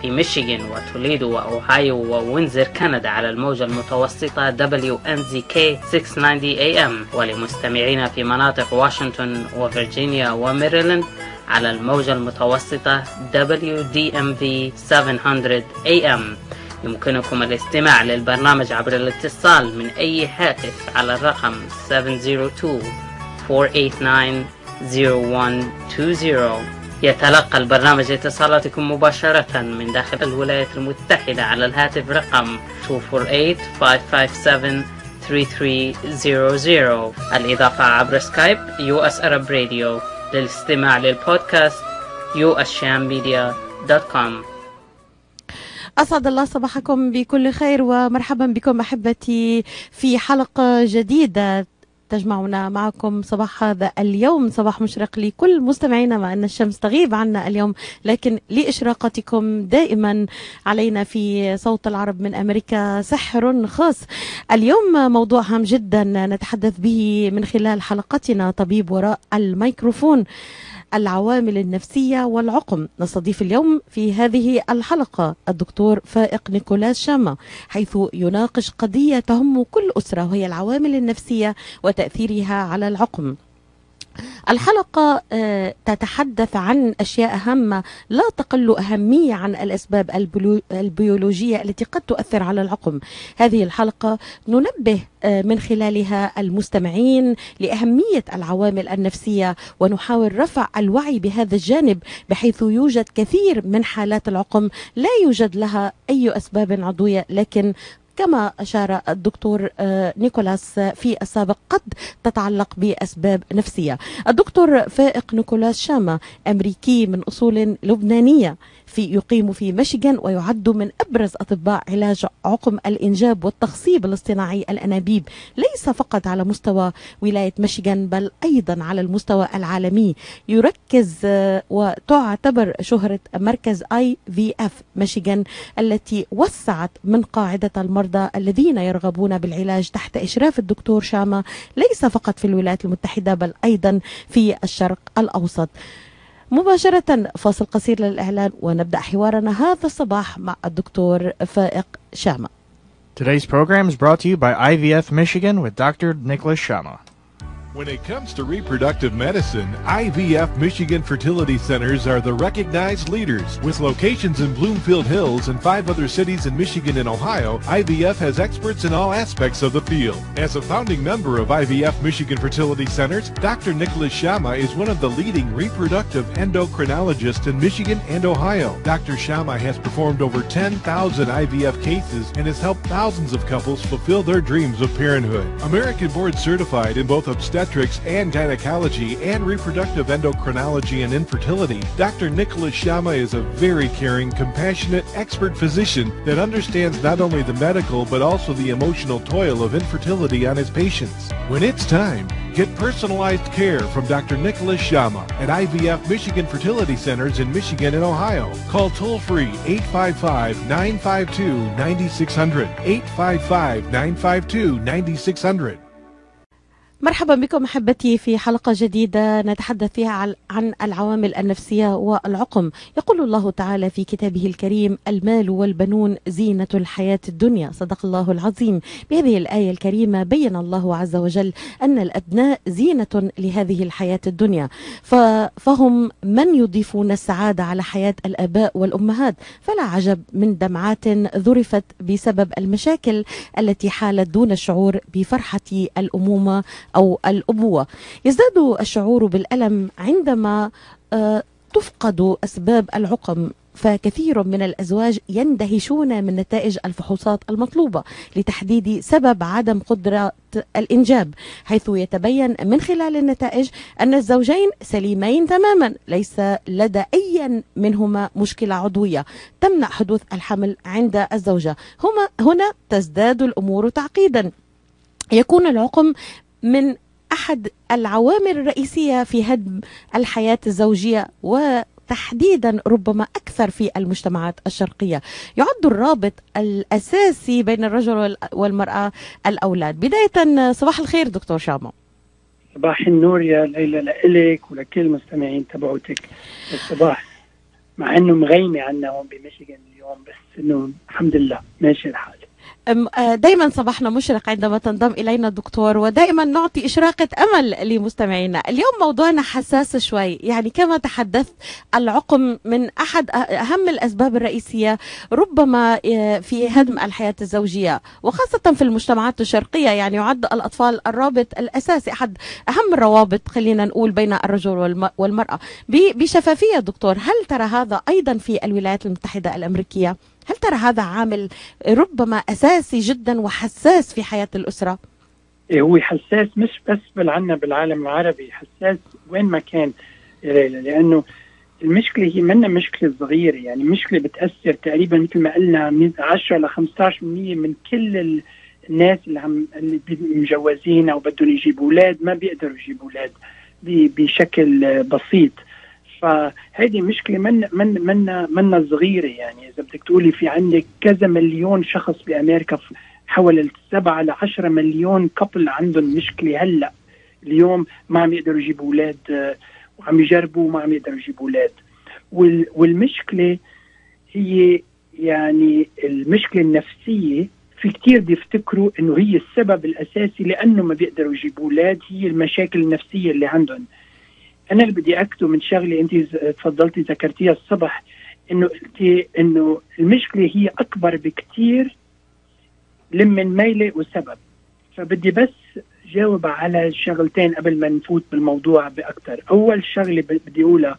في ميشيغان وتوليدو وأوهايو ووينزر كندا على الموجة المتوسطة WNZK 690 AM، ولمستمعينا في مناطق واشنطن وفرجينيا وميريلاند على الموجة المتوسطة WDMV 700 AM. يمكنكم الاستماع للبرنامج عبر الاتصال من أي هاتف على الرقم 702-489-0120. يتلقى البرنامج اتصالاتكم مباشرة من داخل الولايات المتحدة على الهاتف رقم 248-557-3300. الإضافة عبر سكايب US Arab Radio. للاستماع للبودكاست ushammedia.com. أسعد الله صباحكم بكل خير ومرحبا بكم أحبتي في حلقة جديدة تجمعنا معكم صباح هذا اليوم، صباح مشرق لكل مستمعينا، مع أن الشمس تغيب عنا اليوم لكن لإشراقتكم دائما علينا في صوت العرب من أمريكا سحر خاص. اليوم موضوع هام جدا نتحدث به من خلال حلقتنا، طبيب وراء الميكروفون، العوامل النفسية والعقم. نستضيف اليوم في هذه الحلقة الدكتور فائق نيكولاس شاما، حيث يناقش قضية تهم كل أسرة، وهي العوامل النفسية وتأثيرها على العقم. الحلقة تتحدث عن أشياء هامة لا تقل أهمية عن الأسباب البيولوجية التي قد تؤثر على العقم. هذه الحلقة ننبه من خلالها المستمعين لأهمية العوامل النفسية، ونحاول رفع الوعي بهذا الجانب، بحيث يوجد كثير من حالات العقم لا يوجد لها أي أسباب عضوية، لكن كما أشار الدكتور نيكولاس في السابق قد تتعلق بأسباب نفسية. الدكتور فائق نيكولاس شاما أمريكي من أصول لبنانية، يقيم في ميشيغان، ويعد من أبرز أطباء علاج عقم الإنجاب والتخصيب الاصطناعي الأنابيب، ليس فقط على مستوى ولاية ميشيغان بل أيضا على المستوى العالمي. يركز وتعتبر شهرة مركز IVF ميشيغان التي وسعت من قاعدة المرضى الذين يرغبون بالعلاج تحت إشراف الدكتور شاما، ليس فقط في الولايات المتحدة بل أيضا في الشرق الأوسط. مباشرة فاصل قصير للإعلان ونبدأ حوارنا هذا الصباح مع الدكتور فائق شاما. Today's program is brought to you by IVF Michigan with Dr. Nicholas Shama. When it comes to reproductive medicine, IVF Michigan Fertility Centers are the recognized leaders. With locations in Bloomfield Hills and 5 other cities in Michigan and Ohio, IVF has experts in all aspects of the field. As a founding member of IVF Michigan Fertility Centers, Dr. Nicholas Shama is one of the leading reproductive endocrinologists in Michigan and Ohio. Dr. Shama has performed over 10,000 IVF cases and has helped thousands of couples fulfill their dreams of parenthood. American board certified in both obstetrics and gynecology and reproductive endocrinology and infertility, Dr. Nicholas Shama is a very caring, compassionate, expert physician that understands not only the medical but also the emotional toil of infertility on his patients. When it's time, get personalized care from Dr. Nicholas Shama at IVF Michigan Fertility Centers in Michigan and Ohio. Call toll-free 855-952-9600, 855-952-9600. مرحبا بكم أحبتي في حلقة جديدة نتحدث فيها عن العوامل النفسية والعقم. يقول الله تعالى في كتابه الكريم: المال والبنون زينة الحياة الدنيا. صدق الله العظيم. بهذه الآية الكريمة بين الله عز وجل أن الأبناء زينة لهذه الحياة الدنيا، فهم من يضيفون السعادة على حياة الآباء والأمهات، فلا عجب من دمعات ذرفت بسبب المشاكل التي حالت دون الشعور بفرحة الأمومة أو الأبوة. يزداد الشعور بالألم عندما تفقد أسباب العقم، فكثير من الأزواج يندهشون من نتائج الفحوصات المطلوبة لتحديد سبب عدم قدرة الإنجاب، حيث يتبين من خلال النتائج أن الزوجين سليمين تماما، ليس لدى أي منهما مشكلة عضوية تمنع حدوث الحمل عند الزوجة. هنا تزداد الأمور تعقيدا. يكون العقم من أحد العوامل الرئيسية في هدم الحياة الزوجية، وتحديدا ربما أكثر في المجتمعات الشرقية. يعد الرابط الأساسي بين الرجل والمرأة الأولاد. بداية صباح الخير دكتور شاما. صباح النور يا ليلى لإلك ولكل المستمعين تبعوتك. الصباح مع انه مغيمة عنا هون بميشيغان اليوم، بس انه الحمد لله ماشي الحال. دائما صباحنا مشرق عندما تنضم إلينا دكتور، ودائما نعطي إشراقة أمل لمستمعينا. اليوم موضوعنا حساس شوي، يعني كما تحدثت العقم من أحد أهم الأسباب الرئيسية ربما في هدم الحياة الزوجية، وخاصة في المجتمعات الشرقية. يعني يعد الأطفال الرابط الأساسي، أحد أهم الروابط خلينا نقول بين الرجل والمرأة بشفافية. دكتور، هل ترى هذا أيضا في الولايات المتحدة الأمريكية؟ هل ترى هذا عامل ربما أساسي جدا وحساس في حياة الأسرة؟ هو حساس مش بس بالعالم العربي، حساس وين ما كان، لأنه المشكلة هي منا مشكلة صغيرة، يعني مشكلة بتأثر تقريبا مثل ما قلنا 10 ل 15% من كل الناس اللي مجوزين أو بدهم يجيبوا أولاد ما بيقدروا يجيبوا أولاد بشكل بسيط. فهذه مشكلة منا صغيرة. يعني إذا بدك تقولي في عندك كذا مليون شخص بأمريكا، حوالي 7 ل 10 مليون كابل عندهم مشكلة هلأ اليوم ما عم يقدروا يجيبوا أولاد، وعم يجربوا وما عم يقدروا يجيبوا أولاد. والمشكلة هي يعني المشكلة النفسية. في كتير بيفتكروا إنه هي السبب الأساسي لأنه ما بيقدروا يجيبوا أولاد، هي المشاكل النفسية اللي عندهم. أنا اللي بدي أكتب من شغلة أنت تفضلتي ذكرتيها الصبح، إنه المشكلة هي أكبر بكتير من ميلة وسبب. فبدي بس جاوب على شغلتين قبل ما نفوت بالموضوع بأكتر. أول شغلة بدي أقولها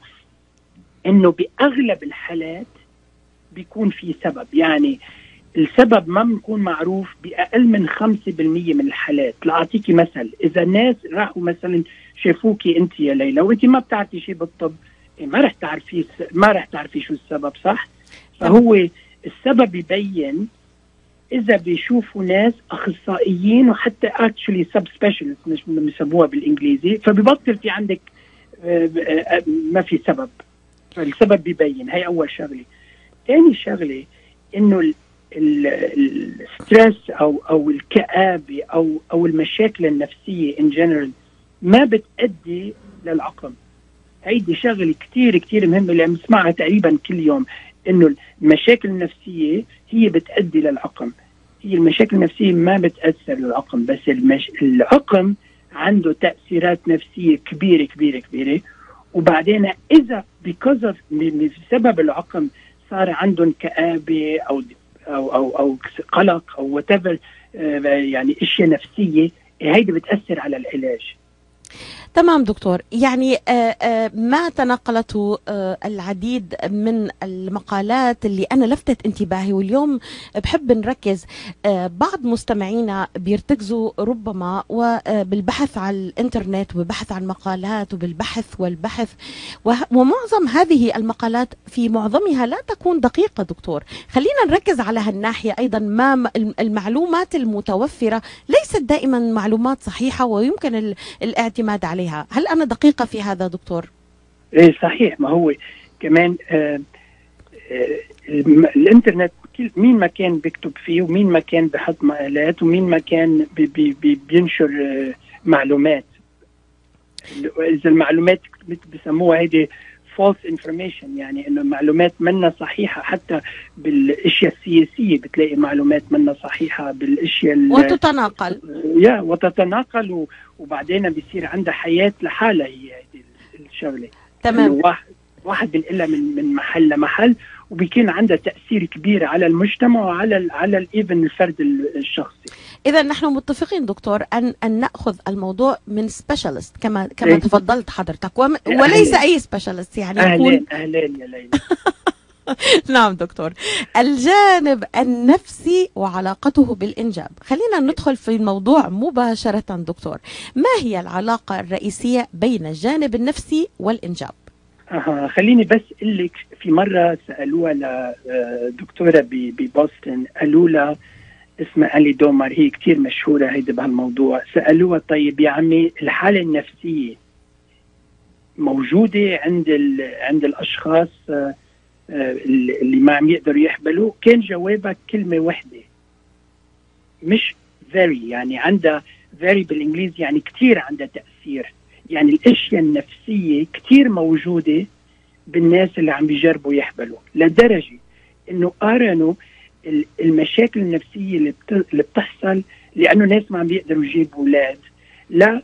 إنه بأغلب الحالات بيكون في سبب، يعني السبب ما بيكون معروف بأقل من 5% من الحالات. لأعطيكي مثل، إذا الناس راحوا مثلا شافوكي أنت يا ليلى وأنت ما بتعرفي شيء بالطب، ما رح تعرفي شو السبب، صح؟ فهو السبب يبين إذا بيشوفوا ناس أخصائيين وحتى actually subspecialists مش بيسموها بالإنجليزي، فبيبطل في عندك ما في سبب، فالسبب بيبين. هاي أول شغلة. ثاني شغلة إنه الستريس أو الكآبة أو المشاكل النفسية in general ما بتأدي للعقم. هيدي شغلة كتير كتير مهمة اللي بنسمعها تقريبا كل يوم، إنه المشاكل النفسية هي بتأدي للعقم. هي المشاكل النفسية ما بتأثر للعقم، بس العقم عنده تأثيرات نفسية كبيرة كبيرة كبيرة. وبعدين إذا بسبب العقم صار عندهم كآبة أو قلق أو whatever، يعني أشياء نفسية، هيدي بتأثر على العلاج. تمام دكتور. يعني ما تناقلته العديد من المقالات اللي أنا لفتت انتباهي، واليوم بحب نركز. بعض مستمعينا بيرتكزوا ربما وبالبحث على الإنترنت وبالبحث عن مقالات وبالبحث والبحث، ومعظم هذه المقالات في معظمها لا تكون دقيقة. دكتور، خلينا نركز على هالناحية أيضا. ما المعلومات المتوفرة ليست دائما معلومات صحيحة ويمكن الاعتماد عليها. هل أنا دقيقة في هذا دكتور؟ إيه صحيح. ما هو كمان الإنترنت مين ما كان بيكتب فيه، ومين ما كان بحط مقالات، ومين ما كان بينشر معلومات. إذا المعلومات بسموها هيدي false information، يعني إنه معلومات منا صحيحة. حتى بالأشياء السياسية بتلاقي معلومات منا صحيحة بالأشياء وتتناقل وبعدين بيصير عندها حياة لحالها. هي هذه الشغلة. تمام. واحد بنقلها من محل لمحل، وبيكون عندها تأثير كبير على المجتمع وعلى الإيفن الفرد الشخصي. إذا نحن متفقين دكتور أن نأخذ الموضوع من سبيشالست كما تفضلت حضرتك، وليس أي سبيشالست. يعني أهلين يا ليلى. نعم دكتور. الجانب النفسي وعلاقته بالإنجاب، خلينا ندخل في الموضوع مباشرة. دكتور، ما هي العلاقة الرئيسية بين الجانب النفسي والإنجاب؟ خليني بس أقول لك، في مرة سألوها لدكتورة ببوسطن، قالوا لها اسمها ألي دومر، هي كتير مشهورة هيدا بهالموضوع. سألوها طيب يا عمي، الحالة النفسية موجودة عند الأشخاص اللي ما عم يقدروا يحبلوا؟ كان جوابها كلمة واحدة، مش very. يعني عندها very بالإنجليزي يعني كتير عندها تأثير. يعني الأشياء النفسية كتير موجودة بالناس اللي عم بيجربوا يحبلوا، لدرجة انه قارنوا المشاكل النفسية اللي بتحصل لانه ناس ما عم بيقدروا يجيبوا اولاد، لا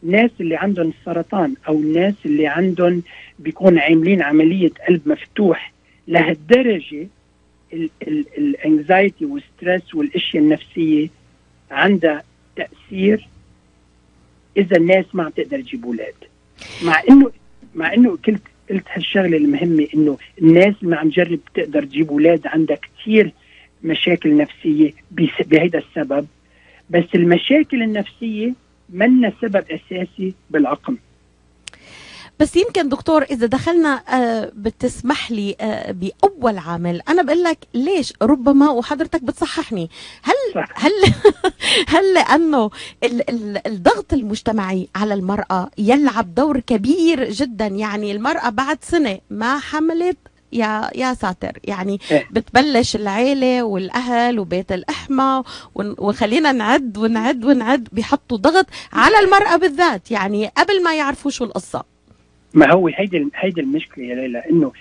ناس اللي عندهم السرطان او الناس اللي عندهم بيكون عاملين عملية قلب مفتوح. لهالدرجة الانكزايتي والستريس والاشياء النفسية عندها تأثير اذا الناس ما عم تقدر تجيب اولاد. مع انه قلت هالشغله المهمه، انه الناس اللي ما عم تجرب تقدر تجيب اولاد عندها كثير مشاكل نفسيه بهذا السبب، بس المشاكل النفسيه منا سبب اساسي بالعقم. بس يمكن دكتور إذا دخلنا بتسمح لي بأول عامل، أنا بقول لك ليش ربما وحضرتك بتصححني، هل لأنه الضغط المجتمعي على المرأة يلعب دور كبير جدا؟ يعني المرأة بعد سنة ما حملت يا ساتر، يعني بتبلش العيلة والأهل وبيت الأحمى وخلينا نعد بيحطوا ضغط على المرأة بالذات، يعني قبل ما يعرفوا شو القصة. ما هو هيدي المشكلة يا ليلى، انه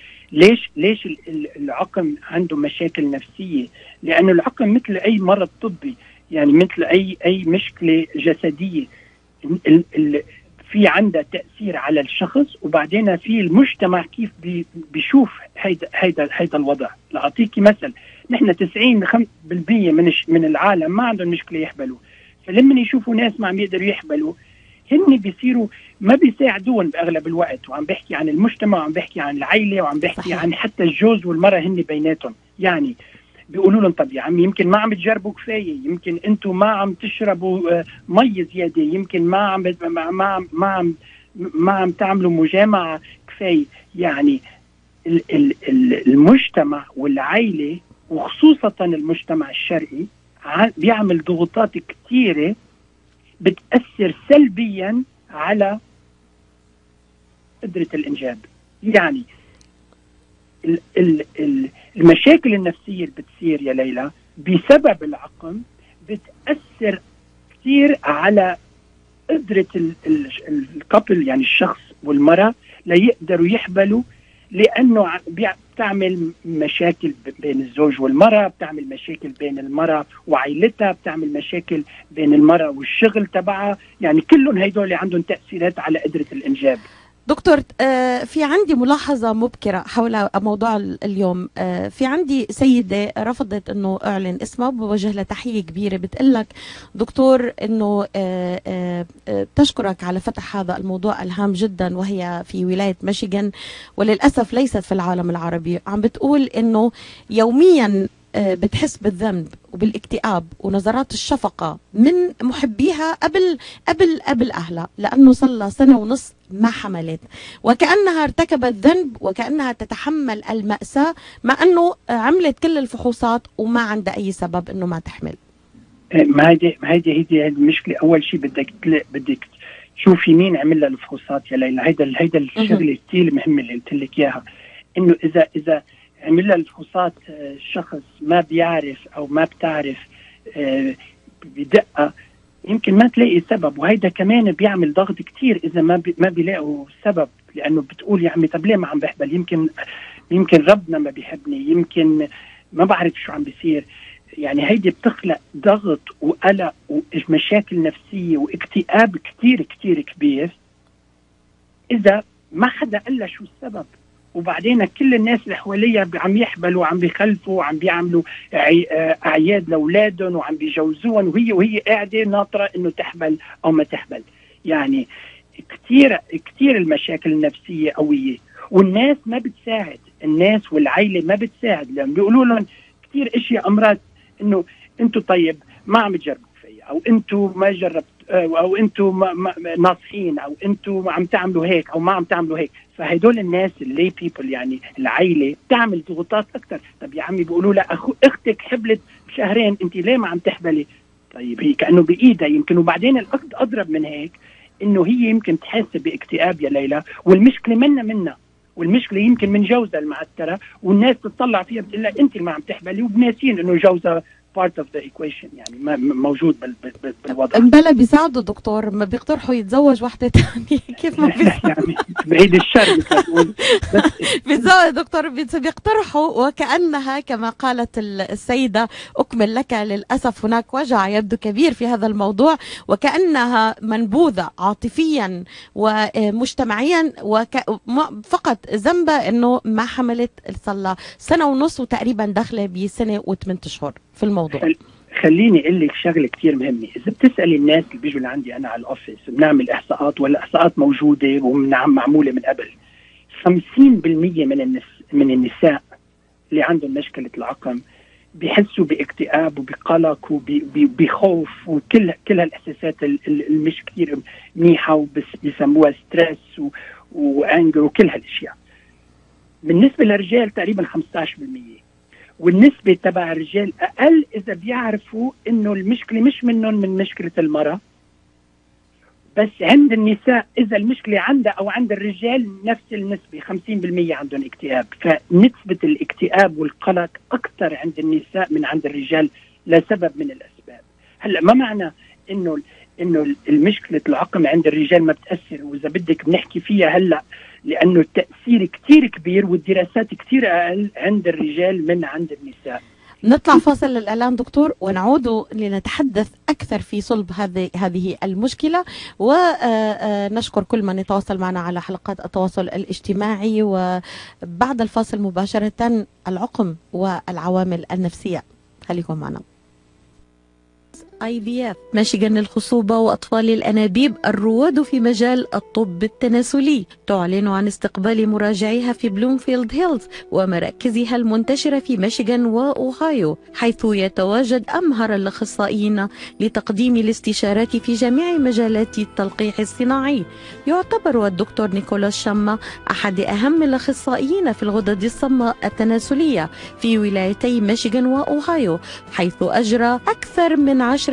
ليش العقم عنده مشاكل نفسية؟ لانه العقم مثل اي مرض طبي، يعني مثل اي مشكلة جسدية، في عندها تأثير على الشخص، وبعدين في المجتمع كيف بيشوف هيدا الوضع. لأعطيكي مثل، نحن 90% من العالم ما عندهم مشكلة يحبلوا، فلما يشوفوا ناس ما عم يقدروا يحبلوا هن بيصيروا ما بيساعدون باغلب الوقت. وعم بحكي عن المجتمع، وعم بحكي عن العائله، وعم بحكي صحيح. عن حتى الجوز والمراه هن بيناتهم، يعني بيقولوا لهم طب يا عم يمكن ما عم تجربوا كفايه، يمكن انتم ما عم تشربوا مي زياده، يمكن ما عم تعملوا مجامعه كفايه. يعني المجتمع والعائله وخصوصا المجتمع الشرقي بيعمل ضغوطات كثيره بتأثر سلبيا على قدرة الإنجاب. يعني المشاكل النفسية اللي بتصير يا ليلى بسبب العقم بتأثر كثير على قدرة الكابل، يعني الشخص والمرأة، ليقدروا يحبلوا، لأنه بتعمل مشاكل بين الزوج والمرأة، بتعمل مشاكل بين المرأة وعائلتها، بتعمل مشاكل بين المرأة والشغل تبعها، يعني كلهم هيدول عندهم تأثيرات على قدرة الإنجاب. دكتور في عندي ملاحظة مبكرة حول موضوع اليوم. في عندي سيدة رفضت انه اعلن اسمها، بوجه لها تحية كبيرة، بتقلك دكتور انه تشكرك على فتح هذا الموضوع الهام جدا، وهي في ولاية ميشيغان وللأسف ليست في العالم العربي. عم بتقول انه يوميا بتحس بالذنب وبالاكتئاب ونظرات الشفقة من محبيها قبل أهلها، لأنه صار لها 1.5 سنة ما حملت، وكأنها ارتكبت ذنب وكأنها تتحمل المأساة، مع أنه عملت كل الفحوصات وما عندها أي سبب أنه ما تحمل. ما هيدي المشكلة. أول شيء بدك تشوفي مين عمل لها الفحوصات يا ليلى. هيدا الشغلة كثير مهمة اللي قلت لك إياها، إنه إذا عمل لها الفحوصات شخص ما بيعرف أو ما بتعرف بدقة، يمكن ما تلاقي سبب، وهيدا كمان بيعمل ضغط كتير إذا ما بيلاقوا سبب، لأنه بتقول يا عمي طب ليه ما عم بحبل، يمكن ربنا ما بيحبني، يمكن ما بعرف شو عم بيصير. يعني هيدي بتخلق ضغط وقلق ومشاكل نفسية واكتئاب كتير كتير كبير إذا ما حدا قال لها شو السبب. وبعدين كل الناس اللي حواليها عم يحبلوا وعم بيخلفوا وعم بيعملوا أعياد لأولادهم وعم بيجوزوهم، وهي قاعدة ناطرة إنه تحبل أو ما تحبل. يعني كتير المشاكل النفسية قوية، والناس ما بتساعد، الناس والعائلة ما بتساعد، لأن بيقولوا لهم كتير اشياء امراض، انه انتم طيب ما عم تجربوا فيا، او انتم ما جربت، او انتم ناصحين، او انتم عم تعملوا هيك او ما عم تعملوا هيك. فهدول الناس اللي بيبل، يعني العائله، بتعمل ضغوطات اكثر. طب يا عمي بيقولوا لها اختك حبلت بشهرين، انت ليه ما عم تحبلي؟ طيب هي كانه بايدها يمكن. وبعدين الاضرب من هيك انه هي يمكن تحس باكتئاب يا ليلى، والمشكله منا، والمشكله يمكن من جوزها المعتره، والناس تطلع فيها بتقول لها انت اللي ما عم تحبلي، وبناسين انه جوزها part of the equation، يعني موجود بالوضع. بلا بيساعدوا دكتور، ما بيقترحوا يتزوج واحدة تانية كيف ما يعني بعيد الشر بيتزوج دكتور، بيقترحوا وكأنها كما قالت السيدة أكمل لك، للأسف هناك وجع يبدو كبير في هذا الموضوع، وكأنها منبوذة عاطفيا ومجتمعيا، فقط ذنبها انه ما حملت صار سنة ونص وتقريبا داخلة بسنة و8 أشهر في الموضوع. خليني اقول لك شغله كثير مهمه. اذا بتسالي الناس اللي بيجوا لعندي انا على الاوفيس، بنعمل احصاءات، والاحصاءات موجوده ومعموله من قبل، 50% من النساء اللي عندهم مشكله العقم بيحسوا باكتئاب وبقلق وبخوف وكل هالاحساسات المش كثير منيحه، وبس بيسموها ستريس وانجر وكل هالاشياء. بالنسبه للرجال تقريبا 15%، والنسبة تبع الرجال أقل إذا بيعرفوا إنه المشكلة مش منهم، من مشكلة المرأة بس. عند النساء إذا المشكلة عندها أو عند الرجال نفس النسبة، 50% عندهم اكتئاب. فنسبة الاكتئاب والقلق أكثر عند النساء من عند الرجال لسبب من الأسباب. هلأ ما معنى إنه المشكلة العقم عند الرجال ما بتأثر، وإذا بدك بنحكي فيها هلأ، لأنه التأثير كتير كبير والدراسات كتير أقل عند الرجال من عند النساء. نطلع فاصل للإعلان دكتور، ونعود لنتحدث أكثر في صلب هذه المشكلة، ونشكر كل من يتواصل معنا على حلقات التواصل الاجتماعي. وبعد الفاصل مباشرة العقم والعوامل النفسية، خليكم معنا. IVF ميشيغان للخصوبة وأطفال الأنابيب الرواد في مجال الطب التناسلي تعلن عن استقبال مراجعيها في بلومفيلد هيلز ومراكزها المنتشرة في ميشيغان وأوهايو، حيث يتواجد أمهر الأخصائيين لتقديم الاستشارات في جميع مجالات التلقيح الصناعي. يعتبر الدكتور نيكولاس شاما أحد أهم الأخصائيين في الغدد الصماء التناسلية في ولايتي ميشيغان وأوهايو، حيث أجرى أكثر من 10,000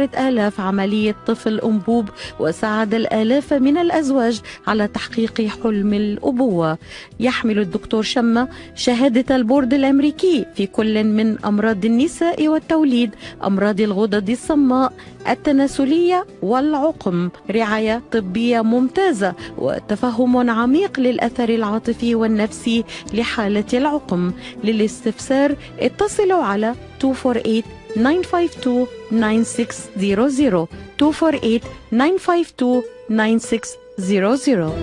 عملية طفل أنبوب، وساعد الآلاف من الأزواج على تحقيق حلم الأبوة. يحمل الدكتور شاما شهادة البورد الأمريكي في كل من أمراض النساء والتوليد، أمراض الغدد الصماء التناسلية والعقم، رعاية طبية ممتازة وتفهم عميق للأثر العاطفي والنفسي لحالة العقم. للاستفسار اتصلوا على 248-952-9600 248-952-9600.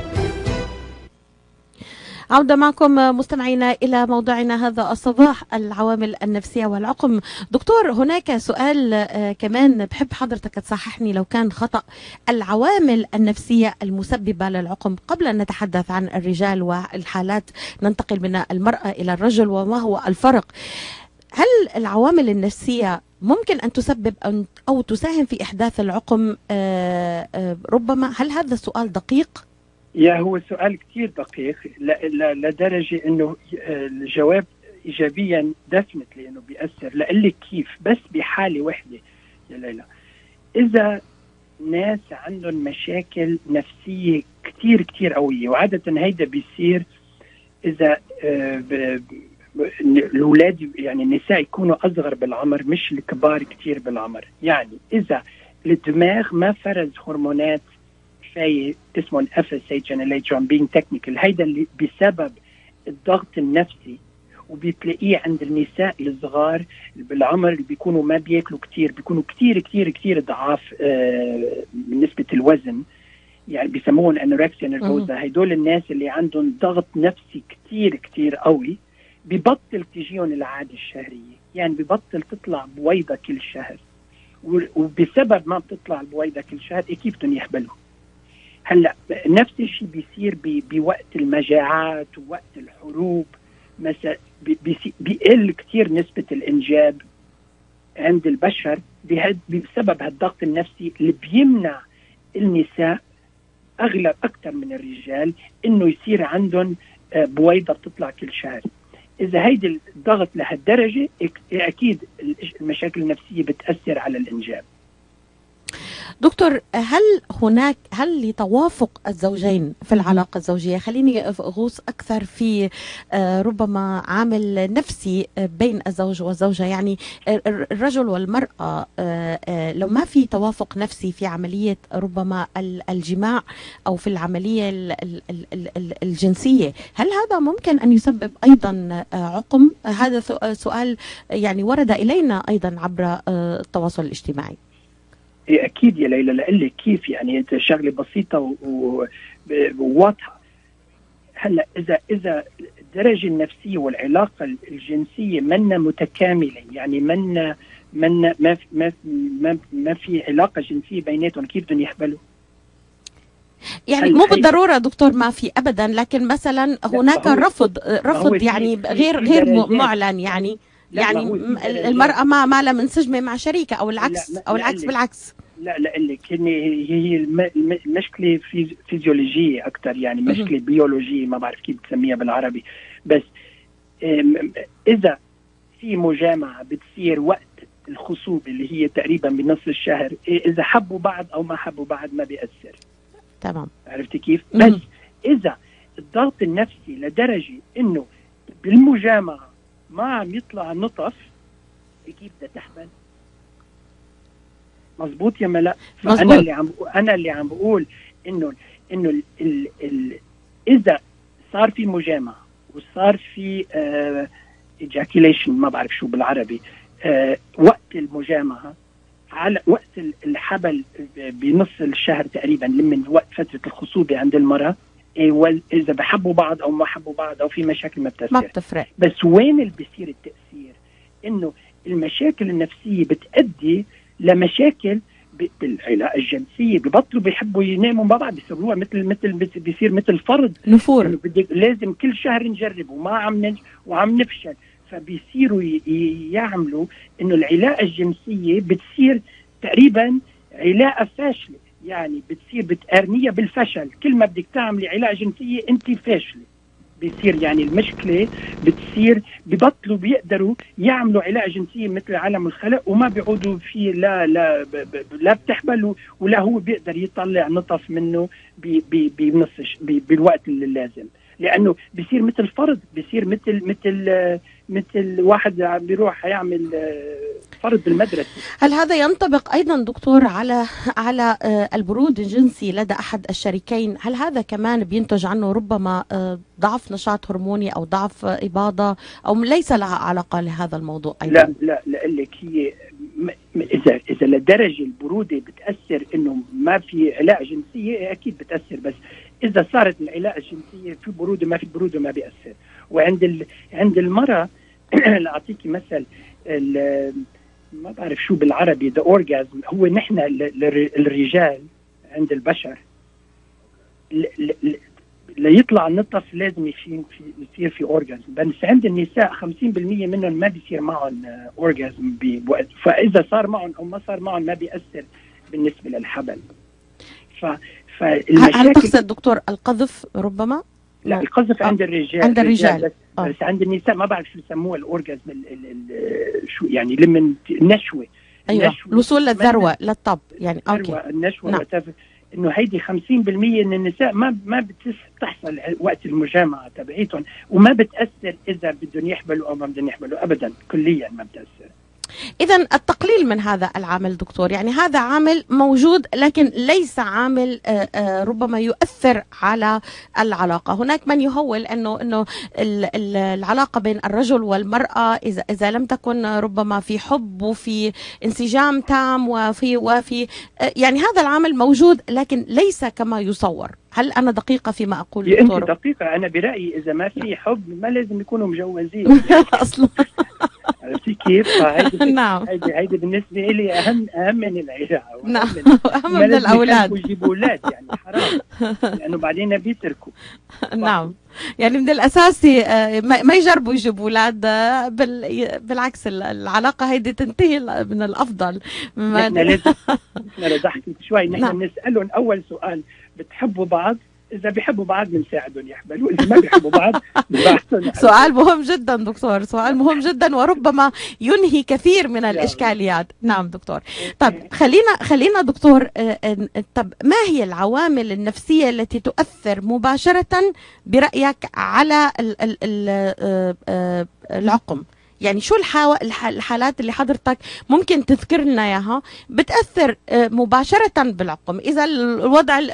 عودة معكم مستمعينا إلى موضوعنا هذا الصباح، العوامل النفسية والعقم. دكتور، هناك سؤال كمان بحب حضرتك تصححني لو كان خطأ. العوامل النفسية المسببة للعقم، قبل أن نتحدث عن الرجال والحالات ننتقل من المرأة إلى الرجل وما هو الفرق، هل العوامل النفسية ممكن أن تسبب أو تساهم في إحداث العقم؟ ربما هل هذا السؤال دقيق؟ هو سؤال كتير دقيق لدرجة أنه الجواب إيجابيا دفنت، لأنه بيأثر. لقلك كيف، بس بحالة واحدة يا ليلى، إذا ناس عندهم مشاكل نفسية كتير قوية، وعادة هيدا بيصير إذا الأولاد يعني النساء يكونوا أصغر بالعمر مش الكبار كتير بالعمر. يعني إذا الدماغ ما فرز هرمونات كفاية اسمه FSH and LH being technical، هيدا اللي بسبب الضغط النفسي، وبتلاقيه عند النساء الصغار بالعمر اللي بيكونوا ما بياكلوا كتير، بيكونوا كتير ضعاف بالنسبة الوزن، يعني بيسموهم أنوركسيا نيرفوزا. هيدول الناس اللي عندهم ضغط نفسي كتير قوي، ببطل تجيهم العادة الشهرية، يعني ببطل تطلع بويضة كل شهر، وبسبب ما بتطلع البويضة كل شهر كيف بدهم يحبلوا. هلا نفس الشيء بيصير بوقت المجاعات ووقت الحروب مثلا، بيقل كتير نسبة الإنجاب عند البشر بسبب هالضغط النفسي اللي بيمنع النساء أغلب أكثر من الرجال إنه يصير عندهم بويضة بتطلع كل شهر. إذا هيدي الضغط لهالدرجة أكيد المشاكل النفسية بتأثر على الإنجاب. دكتور، هل لتوافق الزوجين في العلاقة الزوجية، خليني أغوص أكثر في ربما عامل نفسي بين الزوج والزوجة، يعني الرجل والمرأة لو ما في توافق نفسي في عملية ربما الجماع أو في العملية الجنسية، هل هذا ممكن أن يسبب أيضا عقم؟ هذا سؤال يعني ورد إلينا أيضا عبر التواصل الاجتماعي. اكيد يا ليلى، لقلك كيف يعني انت شغله بسيطه وواضحه. هلا اذا الدرجه النفسيه والعلاقه الجنسيه منا متكامله، يعني منا ما في علاقه جنسيه بيناتهم، كيف بدهم يحبلوا؟ يعني مو بالضروره دكتور ما في ابدا، لكن مثلا هناك رفض يعني غير معلن، يعني المرأة ما لها منسجمة مع شريكة أو العكس أو العكس بالعكس. لا لك هي المشكلة فيزيولوجية أكتر، يعني مشكلة بيولوجية، ما بعرف كيف بتسميها بالعربي. بس إذا في مجامعة بتصير وقت الخصوبة اللي هي تقريبا بنصف الشهر، إذا حبوا بعض أو ما حبوا بعض ما بيأثر. تمام، عرفتي كيف؟ بس إذا الضغط النفسي لدرجة إنه بالمجامعة ما عم يطلع نطف، كيف بدها تحمل؟ مزبوط يا ملا؟ أنا اللي عم بقول إنه إذا صار في مجامعة وصار في ejaculation، ما بعرف شو بالعربي، وقت المجامعة على وقت الحبل بنص الشهر تقريبا، من وقت فترة الخصوبة عند المرأة، إذا بحبوا بعض أو ما حبوا بعض أو في مشاكل ما بتفرق. بس وين اللي بيصير التأثير؟ إنه المشاكل النفسية بتؤدي لمشاكل بالعلاقة الجنسية، ببطلوا بيحبوا يناموا مع بعض، بيصيروها بيصير مثل فرض نفور، لازم كل شهر نجرب وعم نفشل، فبيصيروا يعملوا إنه العلاقة الجنسية بتصير تقريبا علاقة فاشلة، يعني بتصير بتقارنيها بالفشل، كل ما بدك تعملي علاقة جنسية انت فاشلة، بيصير يعني المشكلة بتصير ببطلوا بيقدروا يعملوا علاقة جنسية مثل عالم الخلق، وما بيعودوا فيه لا بتحمل ولا هو بيقدر يطلع نطف منه بالوقت اللي لازم، لأنه بيصير مثل فرض، بيصير مثل واحد بيروح يعمل فرض بالمدرسة. هل هذا ينطبق أيضا دكتور على البرود الجنسي لدى أحد الشريكين؟ هل هذا كمان بينتج عنه ربما ضعف نشاط هرموني أو ضعف إباضة، أو ليس لها علاقة لهذا الموضوع أيضا؟ لا لك هي إذا لدرجة البرودة بتأثر إنه ما في علاقة جنسية، أكيد بتأثر، بس إذا صارت العلاقة الجنسية في برودة ما في برودة ما بيأثر. عند المرأة لأعطيكي مثل، ما بعرف شو بالعربي the orgasm، هو نحن الرجال عند البشر ليطلع النطف لازم يصير في orgasm، بس عند النساء 50% منهم ما بيصير معهم orgasm بوقت، فإذا صار معهم أو ما صار معهم ما بيأثر بالنسبة للحبل. هل تقصد دكتور القذف ربما؟ لا، القذف عند الرجال بس عند النساء ما بعرف شو يسموها الأورجازم، شو يعني لمن النشوة. أيوة، الوصول للذروة للطب، يعني أوكي النشوة. إنه هيدي 50% من النساء ما بتحصل وقت المجامعة تبعيتهم، وما بتأثر إذا بدهم يحبلوا أو ما بدهم يحبلوا أبدا، كليا ما بتأثر. إذن التقليل من هذا العامل دكتور، يعني هذا عامل موجود لكن ليس عامل ربما يؤثر على العلاقة. هناك من يهول أنه العلاقة بين الرجل والمرأة إذا لم تكن ربما في حب وفي انسجام تام وفي يعني هذا العامل موجود لكن ليس كما يصور. هل أنا دقيقة فيما أقول دكتور؟ أنت دقيقة. أنا برأيي إذا ما في حب ما لازم يكونوا مجوزين أصلا. عرفتي كيف؟ نعم، هيدي بالنسبة لي أهم من العلاقة، نعم، أهم من الأولاد، ويجيبوا أولاد يعني حرام، لأنه بعدين بيتركوا. نعم، يعني من الأساسي ما يجربوا يجيبوا أولاد، بالعكس العلاقة هيدي تنتهي من الأفضل. نحن لازم ضحكت شوي، نحن نسألهم أول سؤال بتحبوا بعض؟ اذا بيحبوا بعض بنساعدهم يحملوا، اذا ما بيحبوا بعض بنبعثهم. سؤال مهم جدا دكتور، سؤال مهم جدا وربما ينهي كثير من الاشكاليات. نعم دكتور. طب خلينا دكتور، طب ما هي العوامل النفسيه التي تؤثر مباشره برايك على العقم؟ يعني شو الحالات اللي حضرتك ممكن تذكر لنا اياها بتأثر مباشرة بالعقم؟ إذا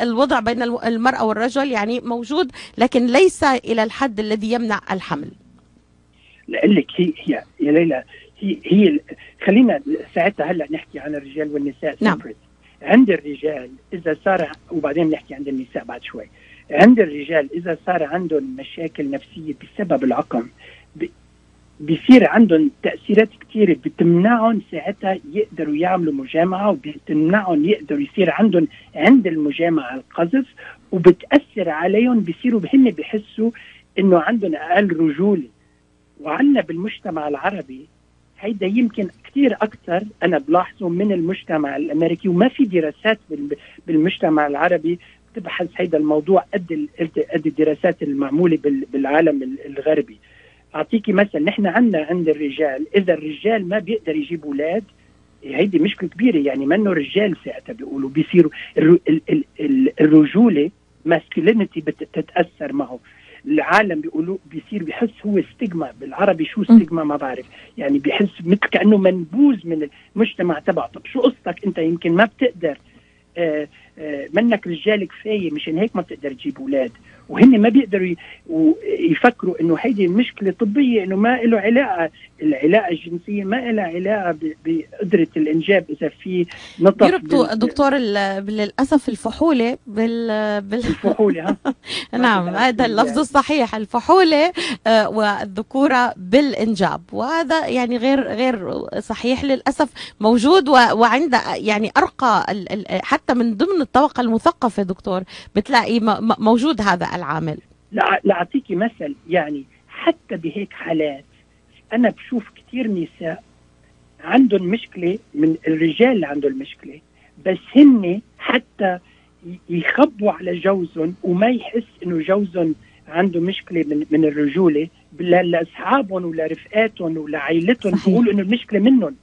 الوضع بين المرأة والرجل يعني موجود لكن ليس إلى الحد الذي يمنع الحمل. لك هي يا ليلى، هي خلينا ساعتها هلا نحكي عن الرجال والنساء. نعم. عند الرجال إذا صار، وبعدين نحكي عند النساء بعد شوي. عند الرجال إذا صار عندهم مشاكل نفسية بسبب العقم بيصير عندهم تأثيرات كتيرة بتمنعهم ساعتها يقدروا يعملوا مجامعة، وبتمنعهم يقدروا يصير عندهم عند المجامعة القذف، وبتأثر عليهم بيصيروا هن بيحسوا إنه عندهم أقل رجولة. وعنا بالمجتمع العربي هيدا يمكن كتير أكتر أنا بلاحظه من المجتمع الأمريكي، وما في دراسات بالمجتمع العربي تبحث هيدا الموضوع قد الدراسات المعمولة بالعالم الغربي. أعطيكي مثلا، نحن عند الرجال إذا الرجال ما بيقدر يجيب أولاد هيدي مشكلة كبيرة، يعني منه رجال ساعتها بيقولوا بيصيروا الرجولة ماسكولينيتي بتتأثر معه. العالم بيقولوا بيصير بيحس هو ستيغما، بالعربي شو ستيغما ما بعرف، يعني بيحس مثل كأنه منبوذ من المجتمع تبعه. طب شو قصتك انت؟ يمكن ما بتقدر، منك رجال كفاية مشان هيك ما بتقدر تجيب أولاد. وهن ما بيقدروا يفكروا انه هيدي المشكله طبيه، انه ما له علاقه، العلاقه الجنسيه ما لها علاقه بقدره الانجاب. اذا في نطق يربطوا دكتور للاسف الفحوله الفحوله نعم، هذا اللفظ الصحيح، الفحوله والذكوره بالانجاب، وهذا يعني غير صحيح للاسف، موجود وعند يعني ارقى حتى من ضمن الطبقه المثقفه دكتور بتلاقي موجود هذا العامل. لا أعطيكي مثل، يعني حتى بهيك حالات أنا بشوف كتير نساء عندهم مشكلة من الرجال اللي عندهم مشكلة، بس هن حتى يخبوا على جوزهم وما يحس إنه جوزهم عنده مشكلة من الرجولة، لأصحابهم ولرفقاتهم ولعائلتهم بيقولوا إنه المشكلة منهم.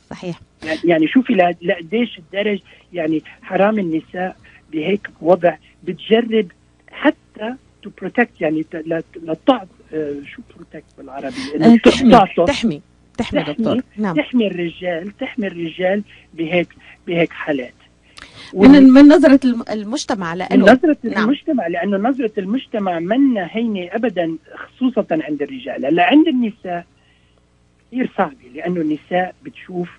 صحيح. يعني شوفي لقديش الدرج، يعني حرام النساء بهيك وضع بتجرب حتى to protect، يعني لتعط شو protect بالعربي؟ تحمي دكتور. نعم. تحمي الرجال بهيك حالات من نظرة المجتمع، لأنه لأنه نظرة المجتمع منا هينة أبدا، خصوصا عند الرجال. هلا عند النساء كثير صعبة، لأنه النساء بتشوف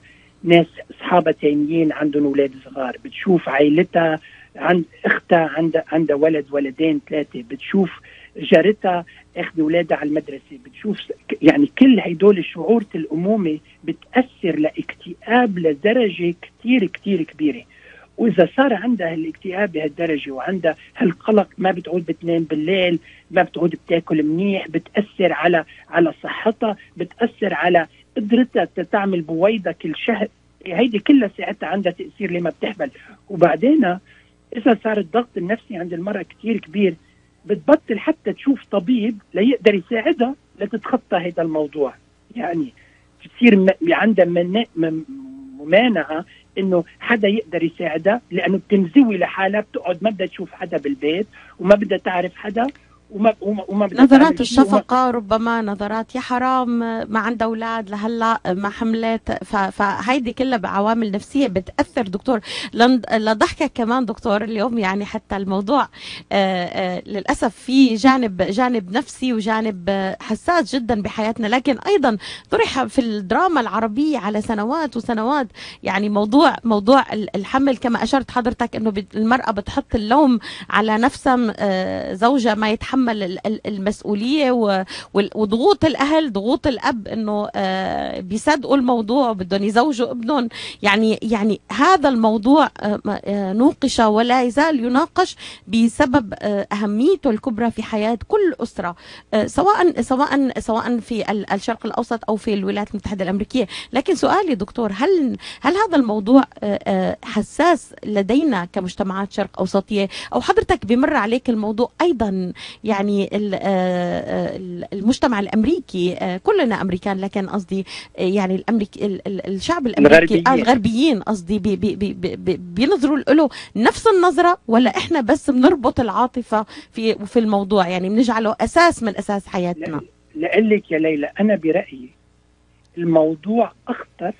ناس أصحابها تانيين عندهم أولاد صغار، بتشوف عائلتها عند اختها عندها ولد ولدين ثلاثه، بتشوف جارتها اخذ اولادها على المدرسه، بتشوف يعني كل هيدول الشعور الامومه بتاثر لاكتئاب لدرجه كتير كتير كبيره. واذا صار عندها الاكتئاب بهالدرجه وعندها هالقلق، ما بتعود بتنام بالليل، ما بتعود بتاكل منيح، بتاثر على صحتها، بتاثر على قدرتها تعمل بويضه كل شهر. هيدي كلها ساعتها عندها تاثير لما بتحمل. وبعدين إذا صار الضغط النفسي عند المرأة كتير كبير، بتبطل حتى تشوف طبيب ليقدر يساعدها لتتخطى هذا الموضوع. يعني بتصير عندها ممانعة إنه حدا يقدر يساعدها، لأنه بتنزوي لحالها، بتقعد ما بدها تشوف حدا بالبيت وما بدها تعرف حدا وما نظرات الشفقة، ربما نظرات يا حرام ما عندها أولاد لهلا ما حملت، فهيدي كلها بعوامل نفسية بتأثر دكتور. لضحكك كمان دكتور اليوم، يعني حتى الموضوع للأسف في جانب نفسي وجانب حساس جدا بحياتنا، لكن أيضا طرح في الدراما العربية على سنوات وسنوات. يعني موضوع الحمل كما أشرت حضرتك، إنه المرأة بتحط اللوم على نفسها، زوجها ما يتحمل يتحمل المسؤولية وضغوط الأهل، ضغوط الأب إنه بيصدقوا الموضوع وبدهم يزوجوا ابنهم. يعني هذا الموضوع نوقش ولا يزال يناقش بسبب أهميته الكبرى في حياة كل أسرة، سواء في الشرق الأوسط أو في الولايات المتحدة الأمريكية. لكن سؤالي دكتور، هل هذا الموضوع حساس لدينا كمجتمعات شرق أوسطية، أو حضرتك بمر عليك الموضوع أيضا؟ يعني المجتمع الأمريكي، كلنا أمريكان، لكن قصدي يعني الشعب الأمريكي الغربيين قصدي بينظروا له نفس النظرة، ولا إحنا بس بنربط العاطفة في الموضوع، يعني بنجعله أساس من أساس حياتنا؟ لقلك يا ليلى، أنا برأيي الموضوع أخطر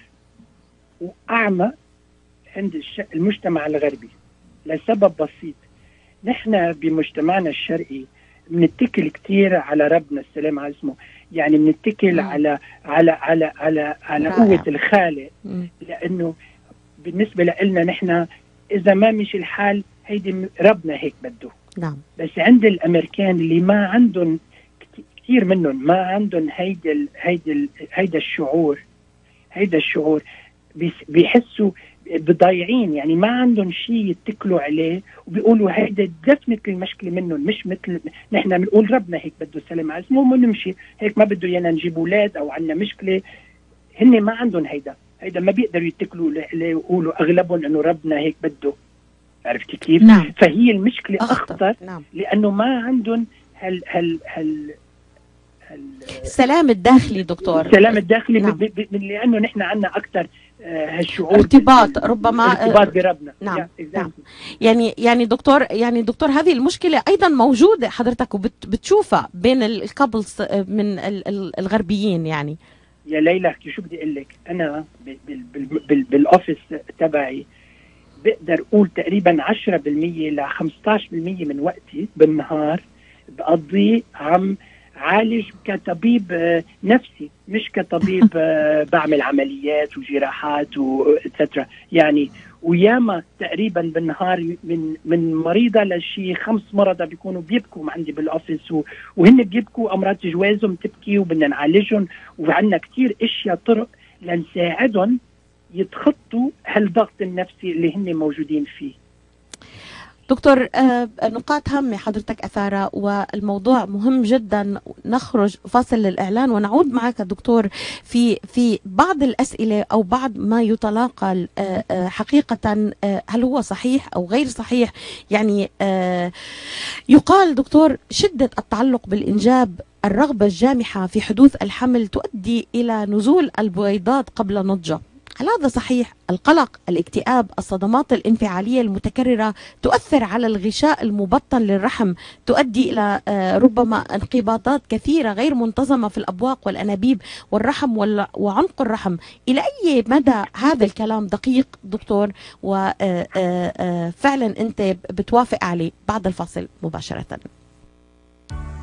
وأعمى عند المجتمع الغربي لسبب بسيط. نحن بمجتمعنا الشرقي بنتكل كتير على ربنا السلام على اسمه، يعني بنتكل على قوة الخالق، لأنه بالنسبة لنا نحن إذا ما مشي الحال هيدي ربنا هيك بده. نعم. بس عند الأمريكان اللي ما عندهم كثير منهم ما عندهم هيدا الشعور بيحسوا بضايعين، يعني ما عندهم شيء يتكلوا عليه وبيقولوا هيدا دفنت المشكلة منهم، مش مثل نحن بنقول ربنا هيك بده السلام على اسمه ونمشي هيك، ما بده يانا نجيب اولاد او عندنا مشكلة. هن ما عندهم هيدا ما بيقدروا يتكلوا عليه ويقولوا اغلبهم انه ربنا هيك بده. عرفتي كيف؟ نعم. فهي المشكلة أخطر. نعم. لأنه ما عندهم السلام الداخلي دكتور، السلام الداخلي. نعم. لأنه نحن عندنا أكثر هالشعور ارتباط ربما ارتباط بربنا. نعم. نعم. يعني دكتور هذه المشكلة أيضا موجودة حضرتك وبتشوفها بين الكابلز من الغربيين. يعني يا ليلى شو بدي أقول لك، أنا بالأوفيس تبعي بقدر أقول تقريبا 10% ل 15% من وقتي بالنهار بقضي عم عالج كطبيب نفسي، مش كطبيب بعمل عمليات وجراحات وإتسترا يعني. وياما تقريبا بالنهار من مريضة لشي 5 مرضى بيكونوا بيبكوا عندي بالأوفيس، وهن بيبكوا أمراض جوازهم تبكي وبدنا نعالجهم، وعندنا كتير اشياء طرق لنساعدهم يتخطوا هالضغط النفسي اللي هن موجودين فيه. دكتور، نقاط هامة حضرتك أثارها، والموضوع مهم جدا. نخرج فاصل للإعلان ونعود معك دكتور في بعض الأسئلة أو بعض ما يتلاقى حقيقة، هل هو صحيح أو غير صحيح؟ يعني يقال دكتور شدة التعلق بالإنجاب، الرغبة الجامحة في حدوث الحمل تؤدي إلى نزول البويضات قبل نضجه. هل هذا صحيح؟ القلق، الاكتئاب، الصدمات الانفعالية المتكررة تؤثر على الغشاء المبطن للرحم، تؤدي إلى ربما انقباضات كثيرة غير منتظمة في الأبواق والأنابيب والرحم وعنق الرحم. إلى أي مدى هذا الكلام دقيق دكتور وفعلا أنت بتوافق عليه؟ بعد الفاصل مباشرة.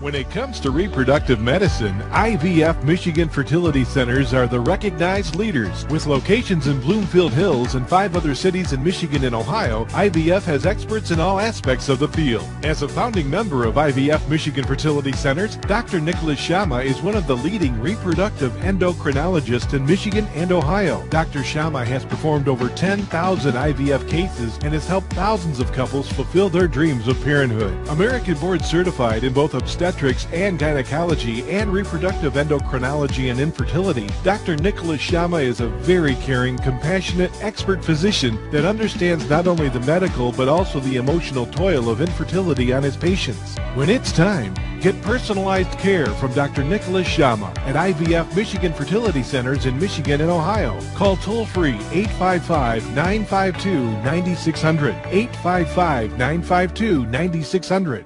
When it comes to reproductive medicine, IVF Michigan Fertility Centers are the recognized leaders. With locations in Bloomfield Hills and 5 other cities in Michigan and Ohio, IVF has experts in all aspects of the field. As a founding member of IVF Michigan Fertility Centers, Dr. Nicholas Shama is one of the leading reproductive endocrinologists in Michigan and Ohio. Dr. Shama has performed over 10,000 IVF cases and has helped thousands of couples fulfill their dreams of parenthood. American board certified in both obstetrics and gynecology and reproductive endocrinology and infertility, Dr. Nicholas Shama is a very caring, compassionate, expert physician that understands not only the medical but also the emotional toil of infertility on his patients. When it's time, get personalized care from Dr. Nicholas Shama at IVF Michigan Fertility Centers in Michigan and Ohio. Call toll-free 855-952-9600, 855-952-9600.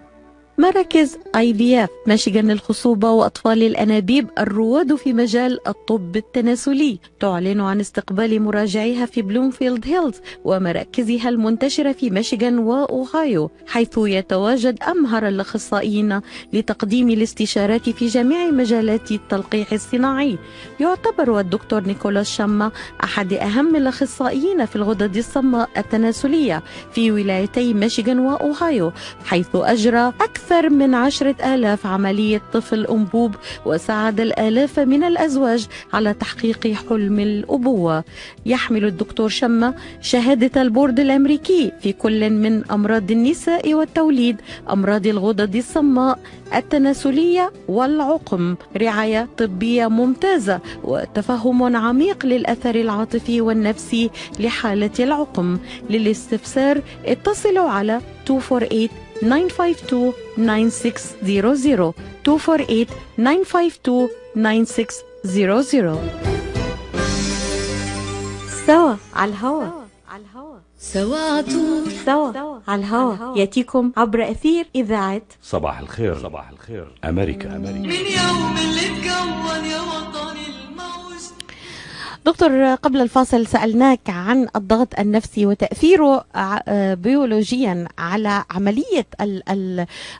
مراكز IVF ميشيغان للخصوبة وأطفال الأنابيب الرواد في مجال الطب التناسلي تعلن عن استقبال مراجعيها في بلومفيلد هيلز ومراكزها المنتشرة في ميشيغان وأوهايو، حيث يتواجد أمهر الأخصائيين لتقديم الاستشارات في جميع مجالات التلقيح الصناعي. يعتبر الدكتور نيكولاس شاما أحد أهم الأخصائيين في الغدد الصماء التناسلية في ولايتي ميشيغان وأوهايو، حيث أجرى أكثر أكثر من 10,000 عملية طفل أنبوب، وساعد الآلاف من الأزواج على تحقيق حلم الأبوة. يحمل الدكتور شمة شهادة البورد الأمريكي في كل من أمراض النساء والتوليد، أمراض الغدد الصماء، التناسلية والعقم، رعاية طبية ممتازة وتفهم عميق للأثر العاطفي والنفسي لحالة العقم. للاستفسار اتصلوا على 248-952-9600 248-952-9600. سوا على الهوا، سوا عطول، سوا على الهوا، يأتيكم عبر أثير إذاعة صباح الخير. صباح الخير أمريكا. من يوم اللي تكون يا وطني الموج. دكتور، قبل الفاصل سألناك عن الضغط النفسي وتأثيره بيولوجيا على عملية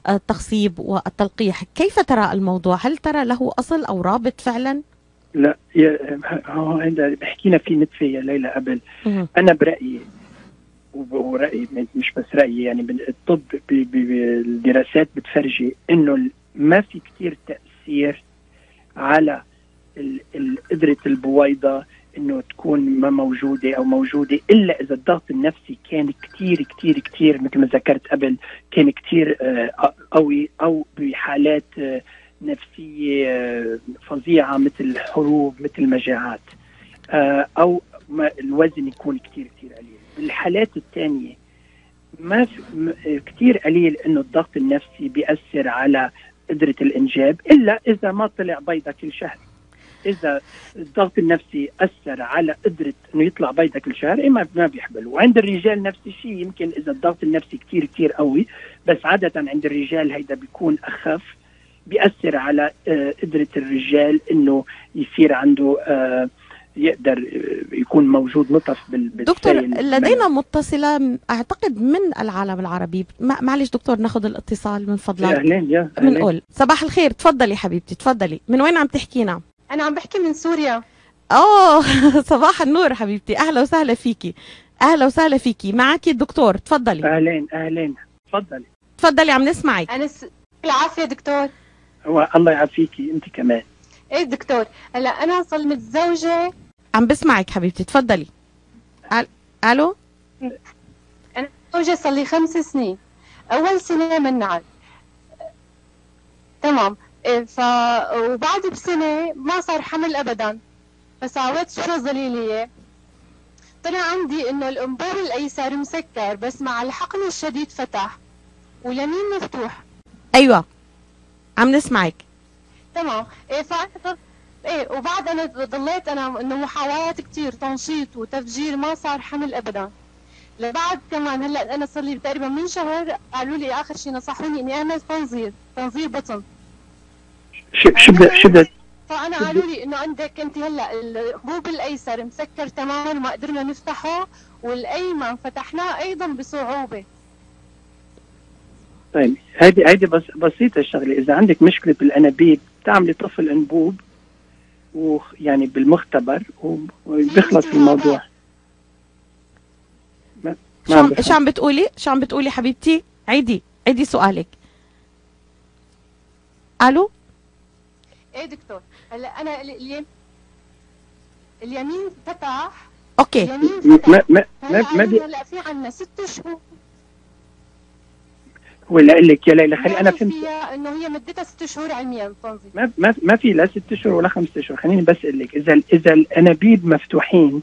التخصيب والتلقيح. كيف ترى الموضوع؟ هل ترى له أصل أو رابط فعلا؟ لا، هذا حكينا فيه نتفة يا ليلى قبل. أنا برأيي، ورأيي مش بس رأيي، يعني الطب بالدراسات بتفرجي إنه ما في كتير تأثير على قدرة البويضة إنه تكون ما موجودة أو موجودة، إلا إذا الضغط النفسي كان كتير كتير كتير مثل ما ذكرت قبل، كان كتير قوي، أو بحالات نفسية فظيعة مثل حروب، مثل مجاعات، أو الوزن يكون كتير كتير قليل. بالحالات الثانية ما كتير قليل إنه الضغط النفسي بيأثر على قدرة الإنجاب، إلا إذا ما طلع بيضة كل شهر. إذا الضغط النفسي أثر على قدرة إنه يطلع بيضة كل شهر، ما بيحبل. وعند الرجال نفس الشيء، يمكن إذا الضغط النفسي كتير كتير قوي، بس عادة عند الرجال هيدا بيكون أخف، بيأثر على قدرة الرجال إنه يصير عنده يقدر يكون موجود نطف دكتور، لدينا متصلة أعتقد من العالم العربي. معلش دكتور، ناخذ الاتصال من فضلك. أهلين. بنقول صباح الخير، تفضلي حبيبتي، تفضلي. من وين عم تحكينا؟ أنا عم بحكي من سوريا. صباح النور حبيبتي، أهلا وسهلا فيكي. أهلا وسهلا فيكي، معك الدكتور، تفضلي. أهلين تفضلي، عم نسمعك. أنا العافية دكتور. الله يعافيكي أنت كمان. إيه دكتور، هلا أنا صار متزوجة. عم بسمعك حبيبتي، تفضلي. ألو. أنا متزوجة صار لي 5 سنين. أول سنة منعت، تمام. وبعد بسنة ما صار حمل أبدا، فساويت شو ظليلية. طلع عندي إنه الأنبوب الأيسر مسكر، بس مع الحقن الشديد فتح واليمين مفتوح. أيوة عم نسمعك. تمام. وبعد أنا ضليت أنا إنه محاولات كتير تنشيط وتفجير، ما صار حمل أبدا. لبعد كمان هلا أنا صار لي تقريبا من شهر قالوا لي آخر شيء نصحوني إني أعمل تنظير بطن. شو فأنا قالوا لي إنه عندك أنت هلا الأنبوب الأيسر مسكر تماما وما قدرنا نفتحه، والأيمن فتحناه أيضا بصعوبة. طيب هيدي بس بسيطة الشغلة. إذا عندك مشكلة بالأنابيب تعملي طفل أنبوب ويعني بالمختبر وبيخلص الموضوع. شو عم بتقولي حبيبتي؟ عيدي سؤالك. ألو. ايه دكتور، هلا انا اليمين فتح. اوكي. هلا في عنا 6 شهور. ولا اقول لك يا ليلى، خلي انا فهمت فيها انه هي مدتها 6 شهور علميا تنظيم. ما في لا 6 شهور ولا 5 شهور. خليني بس اقول لك، اذا الانابيب مفتوحين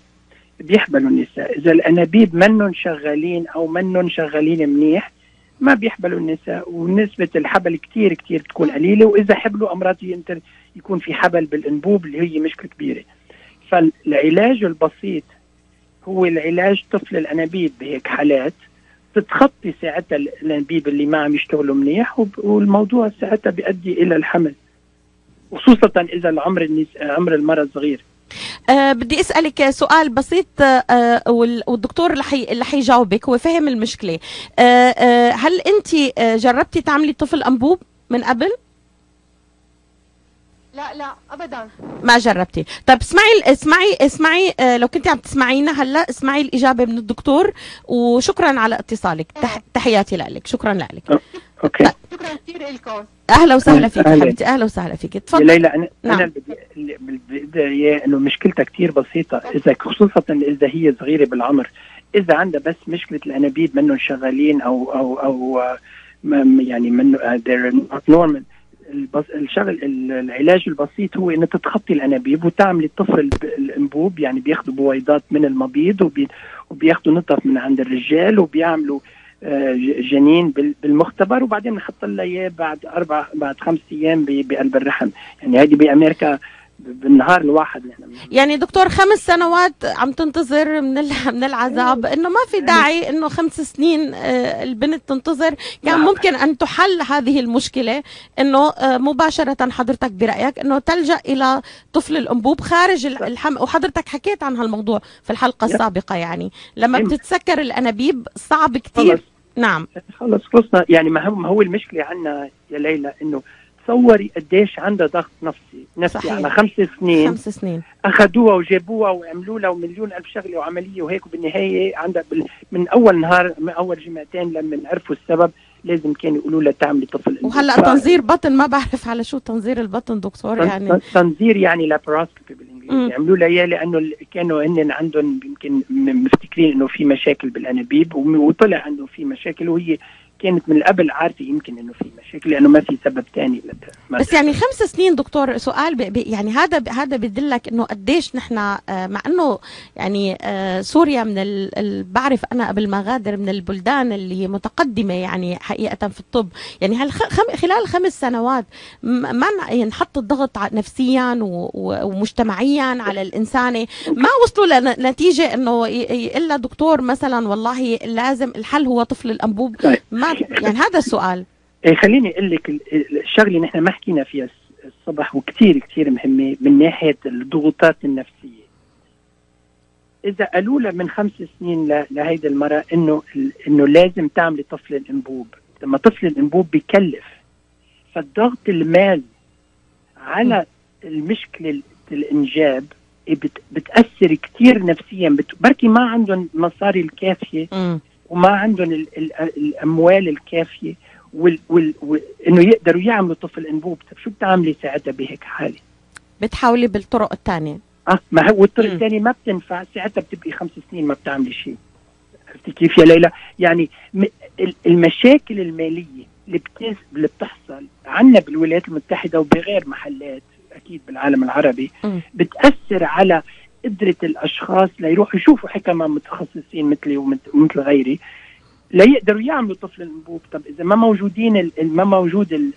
بيحبلوا النساء. اذا الانابيب منن شغالين او منن شغالين منيح ما بيحبلوا النساء، ونسبة الحبل كتير كتير بتكون قليلة. وإذا حبلوا أمراض يكون في حبل بالأنبوب اللي هي مشكلة كبيرة. فالعلاج البسيط هو العلاج طفل الأنابيب. بهيك حالات تتخطي ساعتها الأنابيب اللي ما عم يشتغلوا منيح، والموضوع ساعتها بيؤدي إلى الحمل، خصوصا إذا عمر المرأة صغير. بدي أسألك سؤال بسيط، والدكتور اللي حيجاوبك هو فهم المشكلة. هل أنت جربتي تعملي طفل أنبوب من قبل؟ لا أبدا ما جربتي. طيب اسمعي لو كنت عم تسمعينا هلا، اسمعي الإجابة من الدكتور. وشكرا على اتصالك. تحياتي لك. شكرا لك. اوكي. شكرا كثير لكم. اهلا وسهلا فيك حبيبتي، اهلا وسهلا فيك. يا تفضل. ليلى انا نعم. انا اللي بدي اياه انه مشكلتها كثير بسيطه، اذا خصوصا اذا هي صغيره بالعمر، اذا عندها بس مشكله الانابيب منهم شغالين او يعني منه they're not normal، العلاج البسيط هو انه تتخطي الانابيب وتعملي الطفل الانبوب، يعني بياخذوا بويضات من المبيض وبياخذوا نطف من عند الرجال وبيعملوا جنين بالمختبر، وبعدين بنحط لها اياه بعد 5 ايام بقلب الرحم. يعني هذه بامريكا بالنهار الواحد يعني دكتور 5 سنوات عم تنتظر من العذاب، انه ما في داعي انه 5 سنين البنت تنتظر. يعني ممكن ان تحل هذه المشكلة انه مباشرة حضرتك برأيك انه تلجأ الى طفل الانبوب خارج الحمل، وحضرتك حكيت عن هالموضوع في الحلقة السابقة. يعني لما بتتسكر الانابيب صعب كتير. نعم خلص خلصنا. يعني ما هو المشكلة عنا يا ليلى انه تصوري قديش عندها ضغط نفسي صحيح. على 5 سنين اخذوها وجابوها وعملوا لها ومليون الف شغله وعمليه وهيك، وبالنهايه عندها من اول نهار، من اول جمعتين لما عرفوا السبب لازم كانوا يقولوا لها تعملي طفل. وهلا تنظير بطن، ما بعرف على شو تنظير البطن دكتور. يعني تنظير يعني لاباراسكوبي بالانجليزي، عملوا لها اياه لانه كانوا هن عندهم يمكن مفتكرين انه في مشاكل بالانابيب، وطلع عنده في مشاكل، وهي كانت من قبل عارفه يمكن انه في مشاكل لانه ما في سبب ثاني. بس يعني 5 سنين دكتور، سؤال يعني هذا بدلك انه قديش نحن مع انه يعني سوريا من بعرف انا قبل ما غادر من البلدان اللي متقدمه يعني حقيقه في الطب. يعني خلال 5 سنوات ما ينحط الضغط نفسيا ومجتمعيا على الانسانه، ما وصلوا لنتيجه انه الا دكتور مثلا والله لازم الحل هو طفل الانبوب. ما يعني هذا السؤال. خليني اقول لك الشغله اللي نحن ما حكينا فيها الصبح وكثير كثير مهمه من ناحيه الضغوطات النفسيه. اذا قالوا لها من 5 سنين لهيدي المراه انه لازم تعملي طفل الانبوب، لما طفل الانبوب بيكلف، فالضغط المالي على المشكله الانجاب بتاثر كثير نفسيا. بركي ما عندهم مصاري الكافيه وما عندهم الاموال الكافيه انه يقدروا يعملوا طفل انبوب. طب شو بتعملي ساعتها بهيك حاله؟ بتحاولي بالطرق الثانيه. ما هو الطرق الثانيه ما بتنفع، ساعتها بتبقي 5 سنين ما بتعملي شيء. عرفتي كيف يا ليلى؟ يعني المشاكل الماليه اللي بتحصل عنا بالولايات المتحده وبغير محلات اكيد بالعالم العربي بتاثر على قدرة الأشخاص ليروحوا يشوفوا حكماء متخصصين مثلي ومثل غيري ليقدروا يعملوا طفل الانبوب. طب إذا ما موجود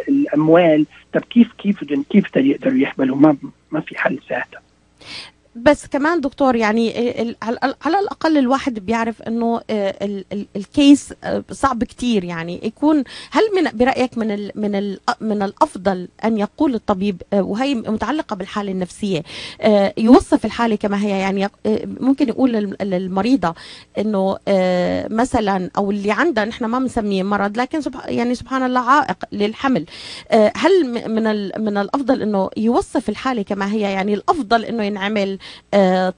الأموال، طب كيف يقدروا يحملوا؟ ما في حل ساعتها. بس كمان دكتور يعني على الأقل الواحد بيعرف أنه الكيس صعب كتير. يعني يكون هل برأيك من الأفضل أن يقول الطبيب، وهي متعلقة بالحالة النفسية، يوصف الحالة كما هي؟ يعني ممكن يقول للمريضة أنه مثلا أو اللي عندها نحن ما بنسميه مرض لكن يعني سبحان الله عائق للحمل، هل من الأفضل أنه يوصف الحالة كما هي؟ يعني الأفضل أنه ينعمل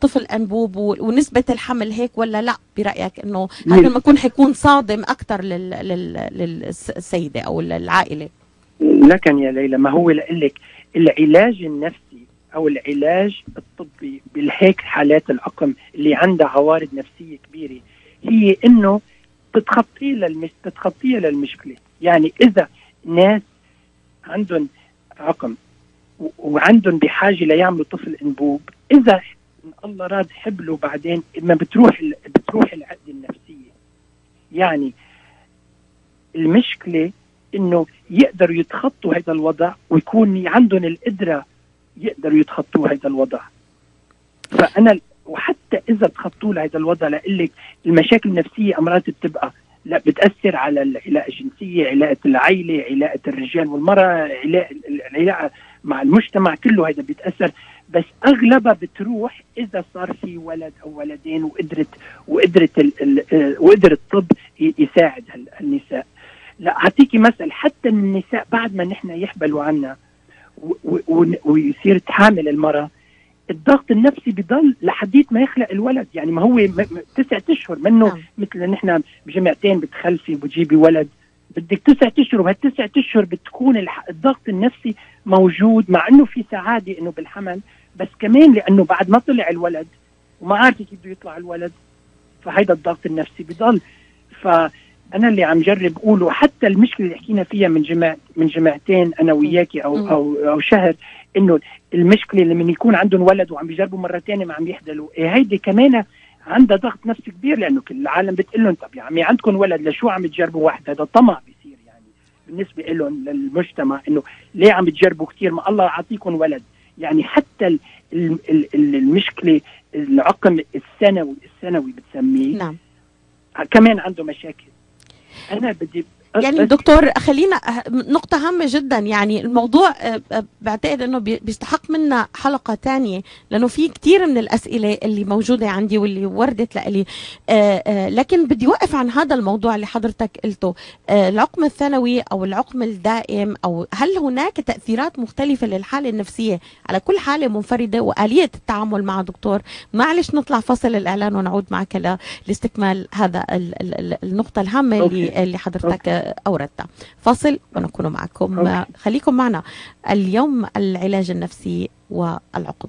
طفل أنبوب ونسبة الحمل هيك ولا لا برأيك؟ انه هذا ما يكون حيكون صادم اكثر للسيدة او العائلة. لكن يا ليلى ما هو لك العلاج النفسي او العلاج الطبي بالهيك حالات العقم اللي عندها عوارض نفسية كبيرة هي انه تتخطيها للمشكلة. يعني اذا ناس عندهم عقم وعندهم بحاجة ليعملوا طفل انبوب، اذا الله راد حبلوا بعدين ما بتروح العقدة النفسية. يعني المشكلة انه يقدروا يتخطوا هذا الوضع ويكون عندهم القدرة يقدروا يتخطوا هذا الوضع. فأنا وحتى إذا تخطوا هذا الوضع لقلك المشاكل النفسية أمراض بتبقى لا بتأثر على العلاقة الجنسية، علاقة العائلة، علاقة الرجال والمرأة، علاقة مع المجتمع كله هذا بيتأثر. بس أغلبها بتروح إذا صار في ولد أو ولدين وقدر الطب يساعد النساء. لا أعطيكي مثل، حتى النساء بعد ما نحن يحبلوا عنا ويصير تحامل المرأة، الضغط النفسي بيضل لحديت ما يخلق الولد. يعني ما هو 9 أشهر منه مثل نحن بجمعتين بتخلفي بتجيبي ولد بدك 9 أشهر، وبهال9 أشهر بتكون الضغط النفسي موجود، مع انه في سعاده انه بالحمل، بس كمان لانه بعد ما طلع الولد وما عارفه كيف بده يطلع الولد، فهيدا الضغط النفسي بضل. فانا اللي عم جرب اقوله، حتى المشكله اللي حكينا فيها من جمعتين انا وياكي او شهر، انه المشكله اللي من يكون عندهم ولد وعم بيجربوا مره ثانيه ما عم يحدلوا، هيدي كمان عندها ضغط نفسي كبير، لانه كل العالم بتقول لهم طب يا عمي عندكم ولد لشو عم تجربوا واحد؟ هذا طمع بيصير يعني بالنسبه لهم للمجتمع، انه ليه عم تجربوا كثير ما الله يعطيكم ولد. يعني حتى المشكله العقم السنوي بتسميه، نعم، كمان عنده مشاكل. انا بدي يعني دكتور خلينا نقطة هامة جدا، يعني الموضوع بعتقد انه بيستحق منا حلقة تانية، لانه في كتير من الاسئلة اللي موجودة عندي واللي وردت لي، لكن بدي وقف عن هذا الموضوع اللي حضرتك قلته، العقم الثانوي او العقم الدائم، او هل هناك تأثيرات مختلفة للحالة النفسية على كل حالة منفردة وآلية التعامل مع دكتور؟ معلش نطلع فاصل الإعلان ونعود معك لاستكمال هذا النقطة الهامة اللي حضرتك أوردتها. فاصل ونكون معكم. خليكم معنا. اليوم العلاج النفسي والعقم.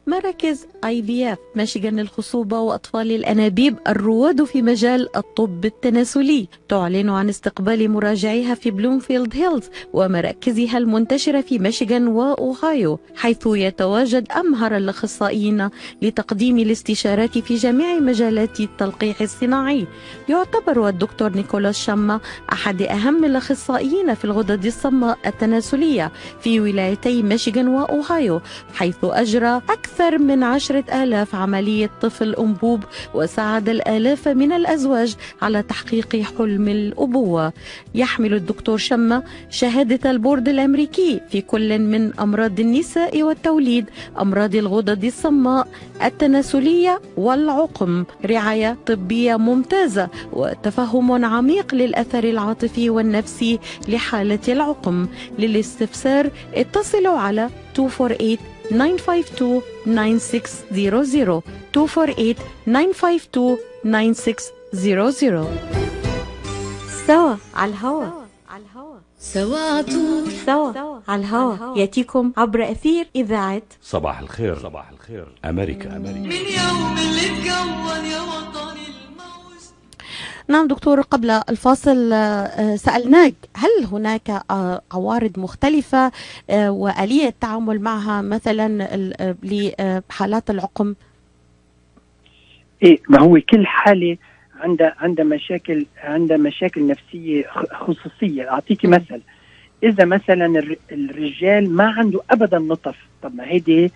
مراكز IVF ميشيغان للخصوبة وأطفال الأنابيب الرواد في مجال الطب التناسلي تعلن عن استقبال مراجعيها في بلومفيلد هيلز ومراكزها المنتشرة في ميشيغان وأوهايو، حيث يتواجد أمهر الأخصائيين لتقديم الاستشارات في جميع مجالات التلقيح الصناعي. يعتبر الدكتور نيكولاس شاما أحد أهم الأخصائيين في الغدد الصماء التناسلية في ولايتي ميشيغان وأوهايو، حيث أجرى أكثر من 10,000 عملية طفل أنبوب، وساعد الآلاف من الأزواج على تحقيق حلم الأبوة. يحمل الدكتور شما شهادة البورد الأمريكي في كل من أمراض النساء والتوليد، أمراض الغدد الصماء التناسلية والعقم، رعاية طبية ممتازة وتفهم عميق للأثر العاطفي والنفسي لحالة العقم. للاستفسار اتصلوا على 248-952-9600 248-952-9600. سوا على الهوا، سوا عطول، سوا على الهوا، ياتيكم عبر أثير إذاعة صباح الخير أمريكا. من يوم اللي تكون يا وطني الموج. نعم دكتور، قبل الفاصل سألناك هل هناك عوارض مختلفة وآلية التعامل معها مثلا لحالات العقم؟ ايه، ما هو كل حالة عندها مشاكل نفسية خصوصية. أعطيكي مثل، إذا مثلا الرجال ما عنده أبدا نطف، طب ما هيدي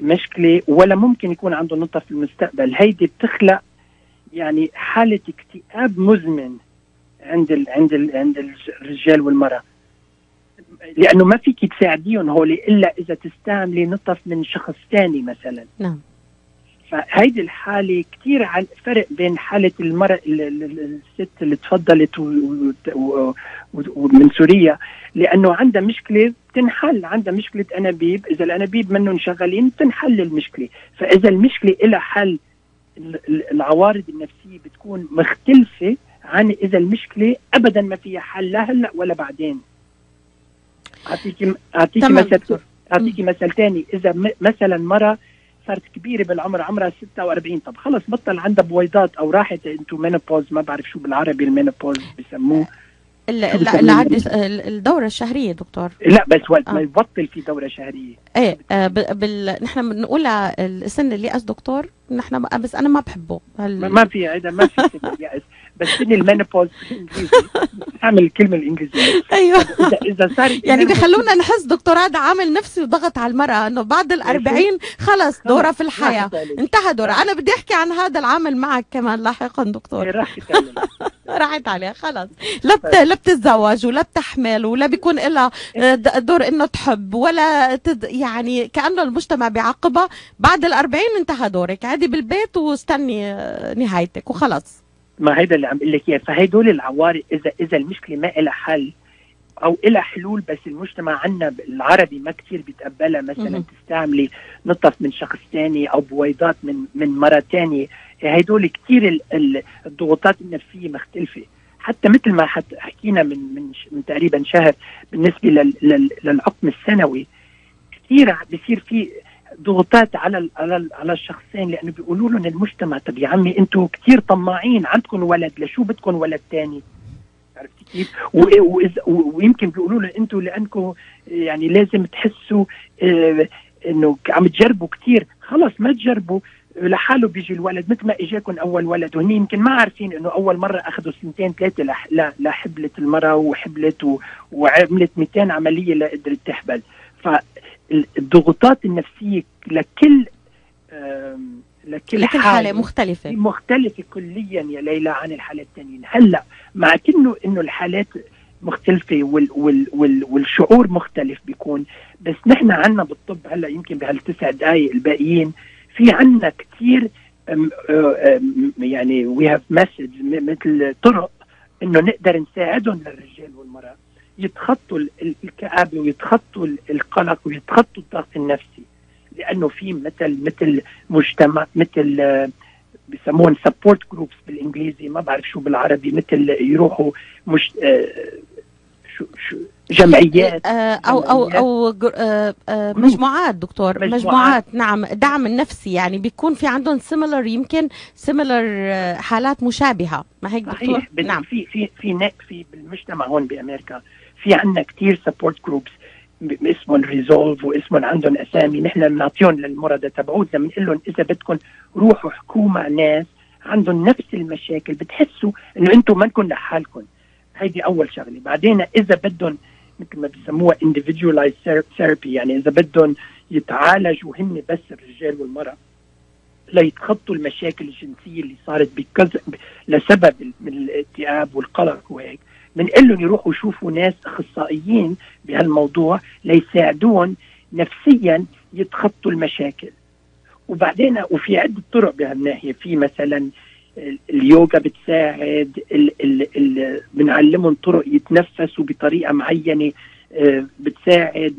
مشكلة، ولا ممكن يكون عنده نطف في المستقبل، هيدي بتخلق يعني حالة اكتئاب مزمن عند الرجال والمرأة، لأنه ما فيك تساعديهم هولي إلا إذا تستعملي نطف من شخص ثاني مثلا. نعم. فهيدي الحالة كتير فرق بين حالة المرأة الست اللي تفضلت من سوريا، لأنه عندها مشكلة تنحل، عندها مشكلة أنابيب، إذا الأنابيب منهم شغالين تنحل المشكلة. فإذا المشكلة إلى حل، العوارض النفسية بتكون مختلفة عن إذا المشكلة أبدا ما فيها حل، لا هلأ ولا بعدين. أعطيكي مثل تاني. إذا مثلا مرة صارت كبيرة بالعمر، عمرها 46، طب خلص بطل عندها بويضات أو راحت انتو مينوبوز، ما بعرف شو بالعربي المينوبوز بسموه، الدورة الشهرية دكتور. لا بس وقت ما يبطل في دورة شهرية. ايه نحن بنقول السن اليأس دكتور، نحن بس انا ما بحبه ما في هذا، ما في سن اليأس، بس سن المينوبوز بالانجليزي، اعمل الكلمة الانجليزية. ايوه، اذا صار يعني بيخلونا نحس دكتور هذا عامل نفسي وضغط على المرأة انه بعد 40 خلص دورة في الحياة انتهى دورة. انا بدي احكي عن هذا العامل معك كمان لاحقا دكتور. راحت عليها خلص، لا بتتزوج ولا بتحمل ولا بيكون لها دور انه تحب ولا يعني كأنه المجتمع بيعاقبها. بعد 40 انتهى دورك، عادي بالبيت واستني نهايتك وخلص. ما هيدا اللي عم بقول لك اياه. فهيدول العوارض اذا المشكله ما لها حل او لها حلول، بس المجتمع عنا العربي ما كثير بيتقبلها، مثلا تستعملي نطف من شخص ثاني او بويضات من مرة ثانيه، هيدول كثير الضغوطات النفسيه مختلفه. حتى مثل ما حكينا من تقريبا شهر بالنسبة للعقم السنوي، كثير بيصير في ضغوطات على الشخصين، لأنه بيقولوا لهم المجتمع طب يا عمي أنتوا كثير طماعين، عندكم ولد لشو بدكم ولد تاني؟ عرفتي كيف؟ ويمكن بيقولوا له أنتوا لأنكم يعني لازم تحسوا إنه عم تجربوا كثير، خلص ما تجربوا لحاله بيجي الولد مثل ما اجاكم اول ولد، وهني يمكن ما عارفين انه اول مره اخذوا 2-3 لحبلت المراه وحبلت وعملت 200 عمليه لقدرت تحبل. فالضغوطات النفسيه لكل حاله مختلفه كليا يا ليلى عن الحالات الثانيين. هلا مع انه الحالات مختلفه والشعور مختلف بيكون، بس نحن عنا بالطب هلا يمكن بهال9 دقائق الباقيين في عنا كتير يعني we have methods مثل طرق انه نقدر نساعدهم للرجال والمرأة يتخطوا الكآبة ويتخطوا القلق ويتخطوا الضغط النفسي، لانه في مثل مجتمع مثل بيسمون support groups بالانجليزي، ما بعرف شو بالعربي، مثل يروحوا مش جمعيات او مجموعات دكتور، مجموعات نعم، دعم النفسي، يعني بيكون في عندهم يمكن حالات مشابهه، ما هيك دكتور؟ نعم. في بالمجتمع هون بامريكا في عندنا كثير سبورت جروبس اسمهم ريزولف واسمهم عندهم اسامي، نحن بنعطيهم للمرضى تبعوتنا، بنقول لهم اذا بدكم روحوا احكوا مع ناس عندهم نفس المشاكل، بتحسوا انه انتم ما نكون لحالكم. هيدي اول شغله. بعدين اذا بدهم مثل ما بيسموها individualized therapy، يعني اذا بدهم يتعالجوا هن بس الرجال والمرأة ليتخطوا المشاكل الجنسيه اللي صارت لسبب من الاكتئاب والقلق وهيك، بنقول لهم يروحوا يشوفوا ناس اخصائيين بهالموضوع ليساعدون نفسيا يتخطوا المشاكل. وبعدين وفي عده طرق بهالناحيه، في مثلا اليوغا بتساعد، بنعلمهم طرق يتنفسوا بطريقه معينه بتساعد،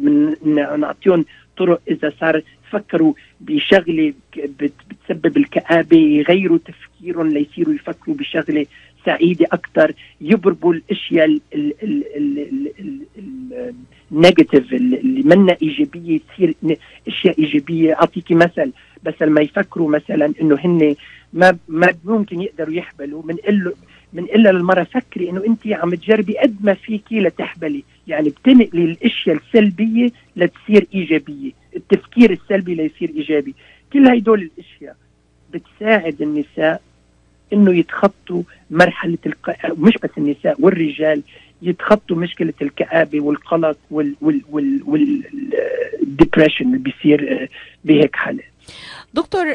نعطيهم طرق اذا صار فكروا بشغله بتسبب الكآبه يغيروا تفكيرهم ليصيروا يفكروا بشغله سعيده اكثر، يبربوا الاشياء النيجاتيف اللي منا ايجابيه تصير اشياء ايجابيه. اعطيكي مثل، بس لما يفكروا مثلا انه هن ما ممكن يقدروا يحبلوا، بنقول للمرأة فكري انه انت عم تجربي قد ما فيكي لتحبلي، يعني بتنقلي الاشياء السلبيه لتصير ايجابيه، التفكير السلبي ليصير ايجابي. كل هيدول الاشياء بتساعد النساء انه يتخطوا مرحله مش بس النساء والرجال يتخطوا مشكله الكآبه والقلق والديبريشن اللي بيصير بهيك حالات. دكتور،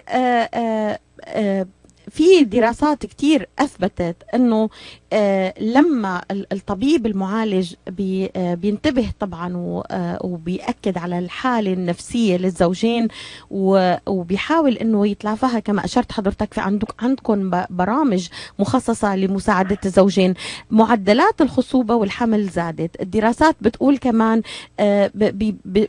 في دراسات كتير أثبتت أنه لما الطبيب المعالج بينتبه طبعا وبيأكد على الحالة النفسية للزوجين وبيحاول أنه يتلافاها، كما أشرت حضرتك في عندكم برامج مخصصة لمساعدة الزوجين، معدلات الخصوبة والحمل زادت. الدراسات بتقول كمان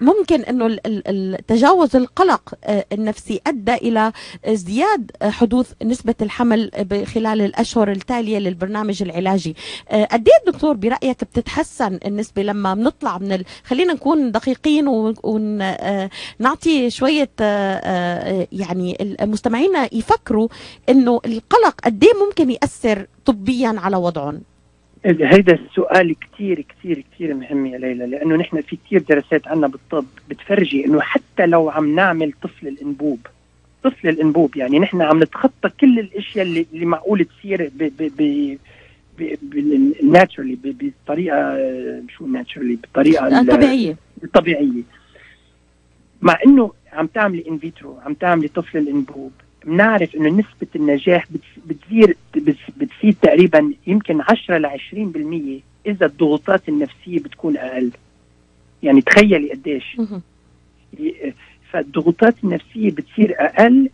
ممكن أنه التجاوز القلق النفسي أدى إلى ازدياد حدوث نسبة الحمل خلال الأشهر التالية للبرنامج العلاجي. قد ايه دكتور برأيك بتتحسن النسبة لما بنطلع خلينا نكون دقيقين ونعطي شوية يعني المستمعين يفكروا انه القلق قد ايه ممكن يأثر طبيا على وضعهم؟ هيدا السؤال كتير كتير كتير مهم يا ليلى، لأنه نحن في كتير دراسات عنا بالطب بتفرجي انه حتى لو عم نعمل طفل الانبوب يعني نحن عم نتخطى كل الاشياء اللي معقول تصير ناتشرالي بطريقه شو ناتشرالي بطريقه طبيعيه. مع انه عم تعملي ان فيترو، عم تعملي طفل الانبوب، بنعرف انه نسبه النجاح بتزيد تقريبا يمكن 10-20% اذا الضغوطات النفسيه بتكون اقل. يعني تخيلي قديش. فالضغوطات النفسية بتصير أقل،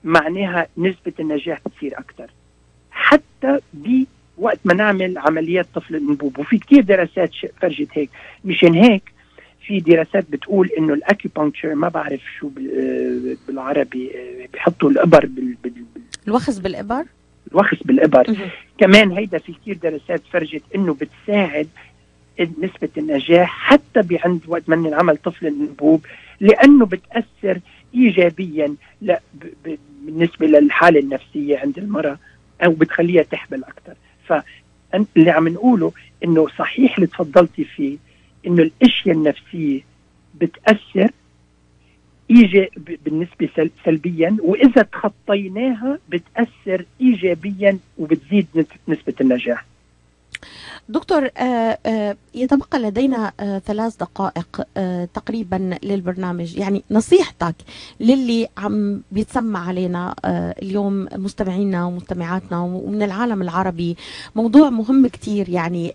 معناها نسبة النجاح بتصير أكتر حتى بوقت ما نعمل عمليات طفل الأنبوب. وفي كتير دراسات فرجت هيك. مشان هيك في دراسات بتقول إنه الأكيبانكتشر، ما بعرف شو بالعربي، بيحطوا الإبر الوخز بالإبر، الوخز بالإبر. كمان هيدا في كتير دراسات فرجت إنه بتساعد نسبة النجاح حتى بعند وقت من ينعمل طفل الأنبوب، لأنه بتأثر إيجابيا بالنسبة للحالة النفسية عند المرأة، أو بتخليها تحبل أكتر. فاللي عم نقوله إنه صحيح اللي تفضلتي فيه، إنه الأشياء النفسية بتأثر بالنسبة سلبيا، وإذا تخطيناها بتأثر إيجابيا وبتزيد نسبة النجاح. دكتور، يتبقى لدينا 3 دقائق تقريبا للبرنامج. يعني نصيحتك للي عم بيتسمع علينا اليوم، مستمعينا ومستمعاتنا ومن العالم العربي، موضوع مهم كتير، يعني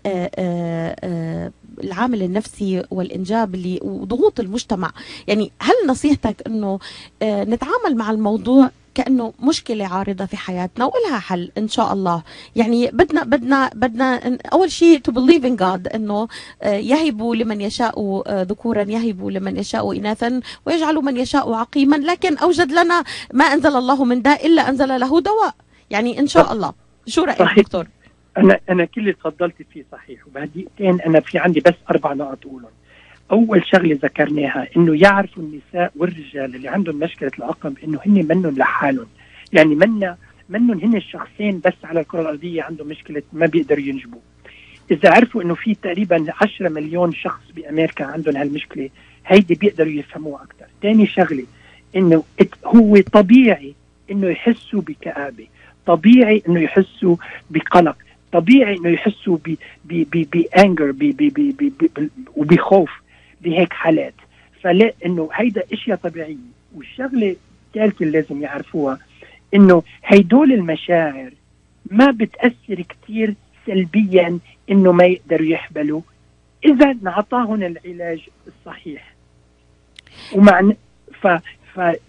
العامل النفسي والإنجاب اللي وضغوط المجتمع. يعني هل نصيحتك أنه نتعامل مع الموضوع كأنه مشكلة عارضة في حياتنا وإلها حل إن شاء الله؟ يعني بدنا أول شيء to believe in God، إنه يهب لمن يشاء ذكورا، يهب لمن يشاء إناثا، ويجعل من يشاء عقيما، لكن أوجد لنا ما أنزل الله من داء إلا أنزل له دواء، يعني إن شاء الله. شو رأيك دكتور؟ أنا كل اللي تفضلت فيه صحيح، وبهديقتين أنا في عندي بس 4 نقط أقولهم. أول شغلة ذكرناها إنه يعرفوا النساء والرجال اللي عندهم مشكلة العقم إنه هن منن لحالهم، يعني منن هن الشخصين بس على الكرة الأرضية عندهم مشكلة ما بيقدروا ينجبوا. إذا عرفوا إنه في تقريبا 10 مليون شخص بأمريكا عندهم هالمشكلة، هيدي بيقدروا يفهموها أكتر. تاني شغلة إنه هو طبيعي إنه يحسوا بكآبة، طبيعي إنه يحسوا بقلق، طبيعي إنه يحسوا بأنجر وبخوف بهيك حالات. فلا إنه هيدا إشياء طبيعية. والشغلة الثالثة اللي لازم يعرفوها إنه هيدول المشاعر ما بتأثر كتير سلبيا إنه ما يقدروا يحبلوا إذا نعطاهم العلاج الصحيح.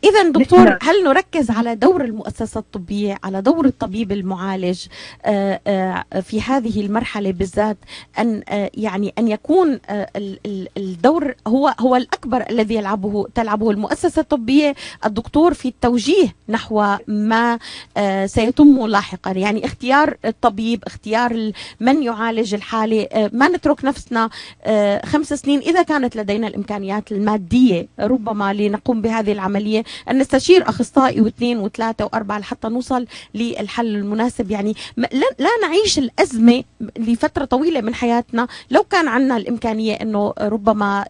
إذا دكتور، هل نركز على دور المؤسسة الطبية، على دور الطبيب المعالج في هذه المرحلة بالذات، أن يعني أن يكون الدور هو الأكبر الذي تلعبه المؤسسة الطبية، الدكتور في التوجيه نحو ما سيتم لاحقا، يعني اختيار الطبيب، اختيار من يعالج الحالة، ما نترك نفسنا 5 سنين إذا كانت لدينا الإمكانيات المادية ربما لنقوم بهذه العملية، أن نستشير أخصائي و2 و3 و4 لحتى نوصل للحل المناسب. يعني لا نعيش الأزمة لفترة طويلة من حياتنا لو كان عندنا الإمكانية أنه ربما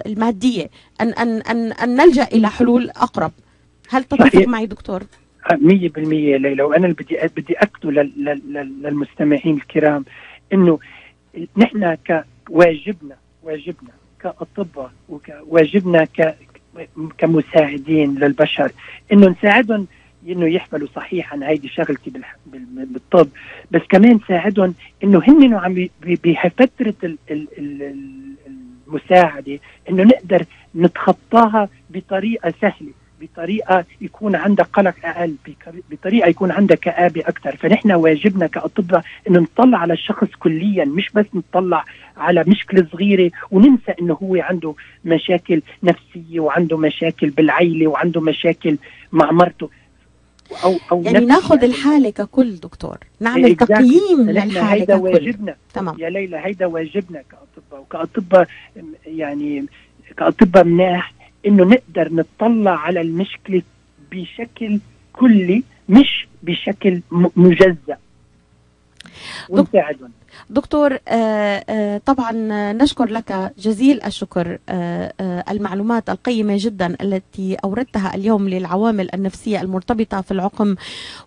المادية أن نلجأ إلى حلول أقرب. هل تتفق معي دكتور؟ 100% ليلى. وأنا بدي أكتب للمستمعين الكرام أنه نحن واجبنا كأطباء وواجبنا كمساعدين للبشر انه نساعدهم انه يحملوا صحيحا. هيدي شغلتي بالطب، بس كمان نساعدهم انه هن عم بفتره المساعده انه نقدر نتخطاها بطريقه سهله، بطريقه يكون عندها قلق اقل، بطريقه يكون عندها كآبه اكثر. فنحن واجبنا كاطباء انه نطلع على الشخص كليا، مش بس نطلع على مشكله صغيره وننسى انه هو عنده مشاكل نفسيه وعنده مشاكل بالعيله وعنده مشاكل مع مرته أو يعني ناخذ الحاله ككل دكتور، نعمل تقييم للحاله ككل. واجبنا. تمام يا ليلى، هيدا واجبنا كاطباء، وكاطباء يعني كاطباء مناح انه نقدر نطلع على المشكله بشكل كلي مش بشكل مجزأ ونساعدهم. دكتور، طبعا نشكر لك جزيل الشكر المعلومات القيمة جدا التي أوردتها اليوم للعوامل النفسية المرتبطة في العقم،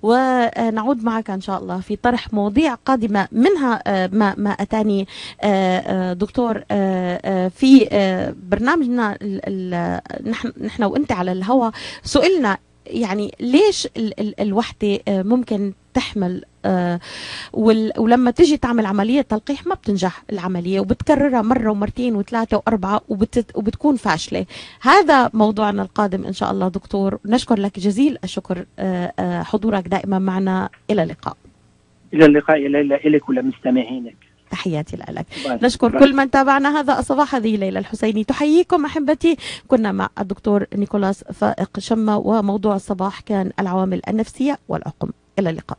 ونعود معك إن شاء الله في طرح مواضيع قادمة، منها ما أتاني دكتور في برنامجنا نحن وأنت على الهواء. سئلنا يعني ليش الوحدة ممكن تحمل ولما تيجي تعمل عملية تلقيح ما بتنجح العملية، وبتكررها مرة ومرتين و3 و4 وبتكون فاشلة. هذا موضوعنا القادم إن شاء الله دكتور. نشكر لك جزيل الشكر حضورك دائما معنا. إلى اللقاء. إلى اللقاء يا ليلى، إلك ولمستمعينك. تحياتي لك. نشكر كل من تابعنا هذا الصباح. هذه ليلى الحسيني تحييكم أحبتي. كنا مع الدكتور نيكولاس فائق شمة، وموضوع الصباح كان العوامل النفسية والعقم. إلى اللقاء.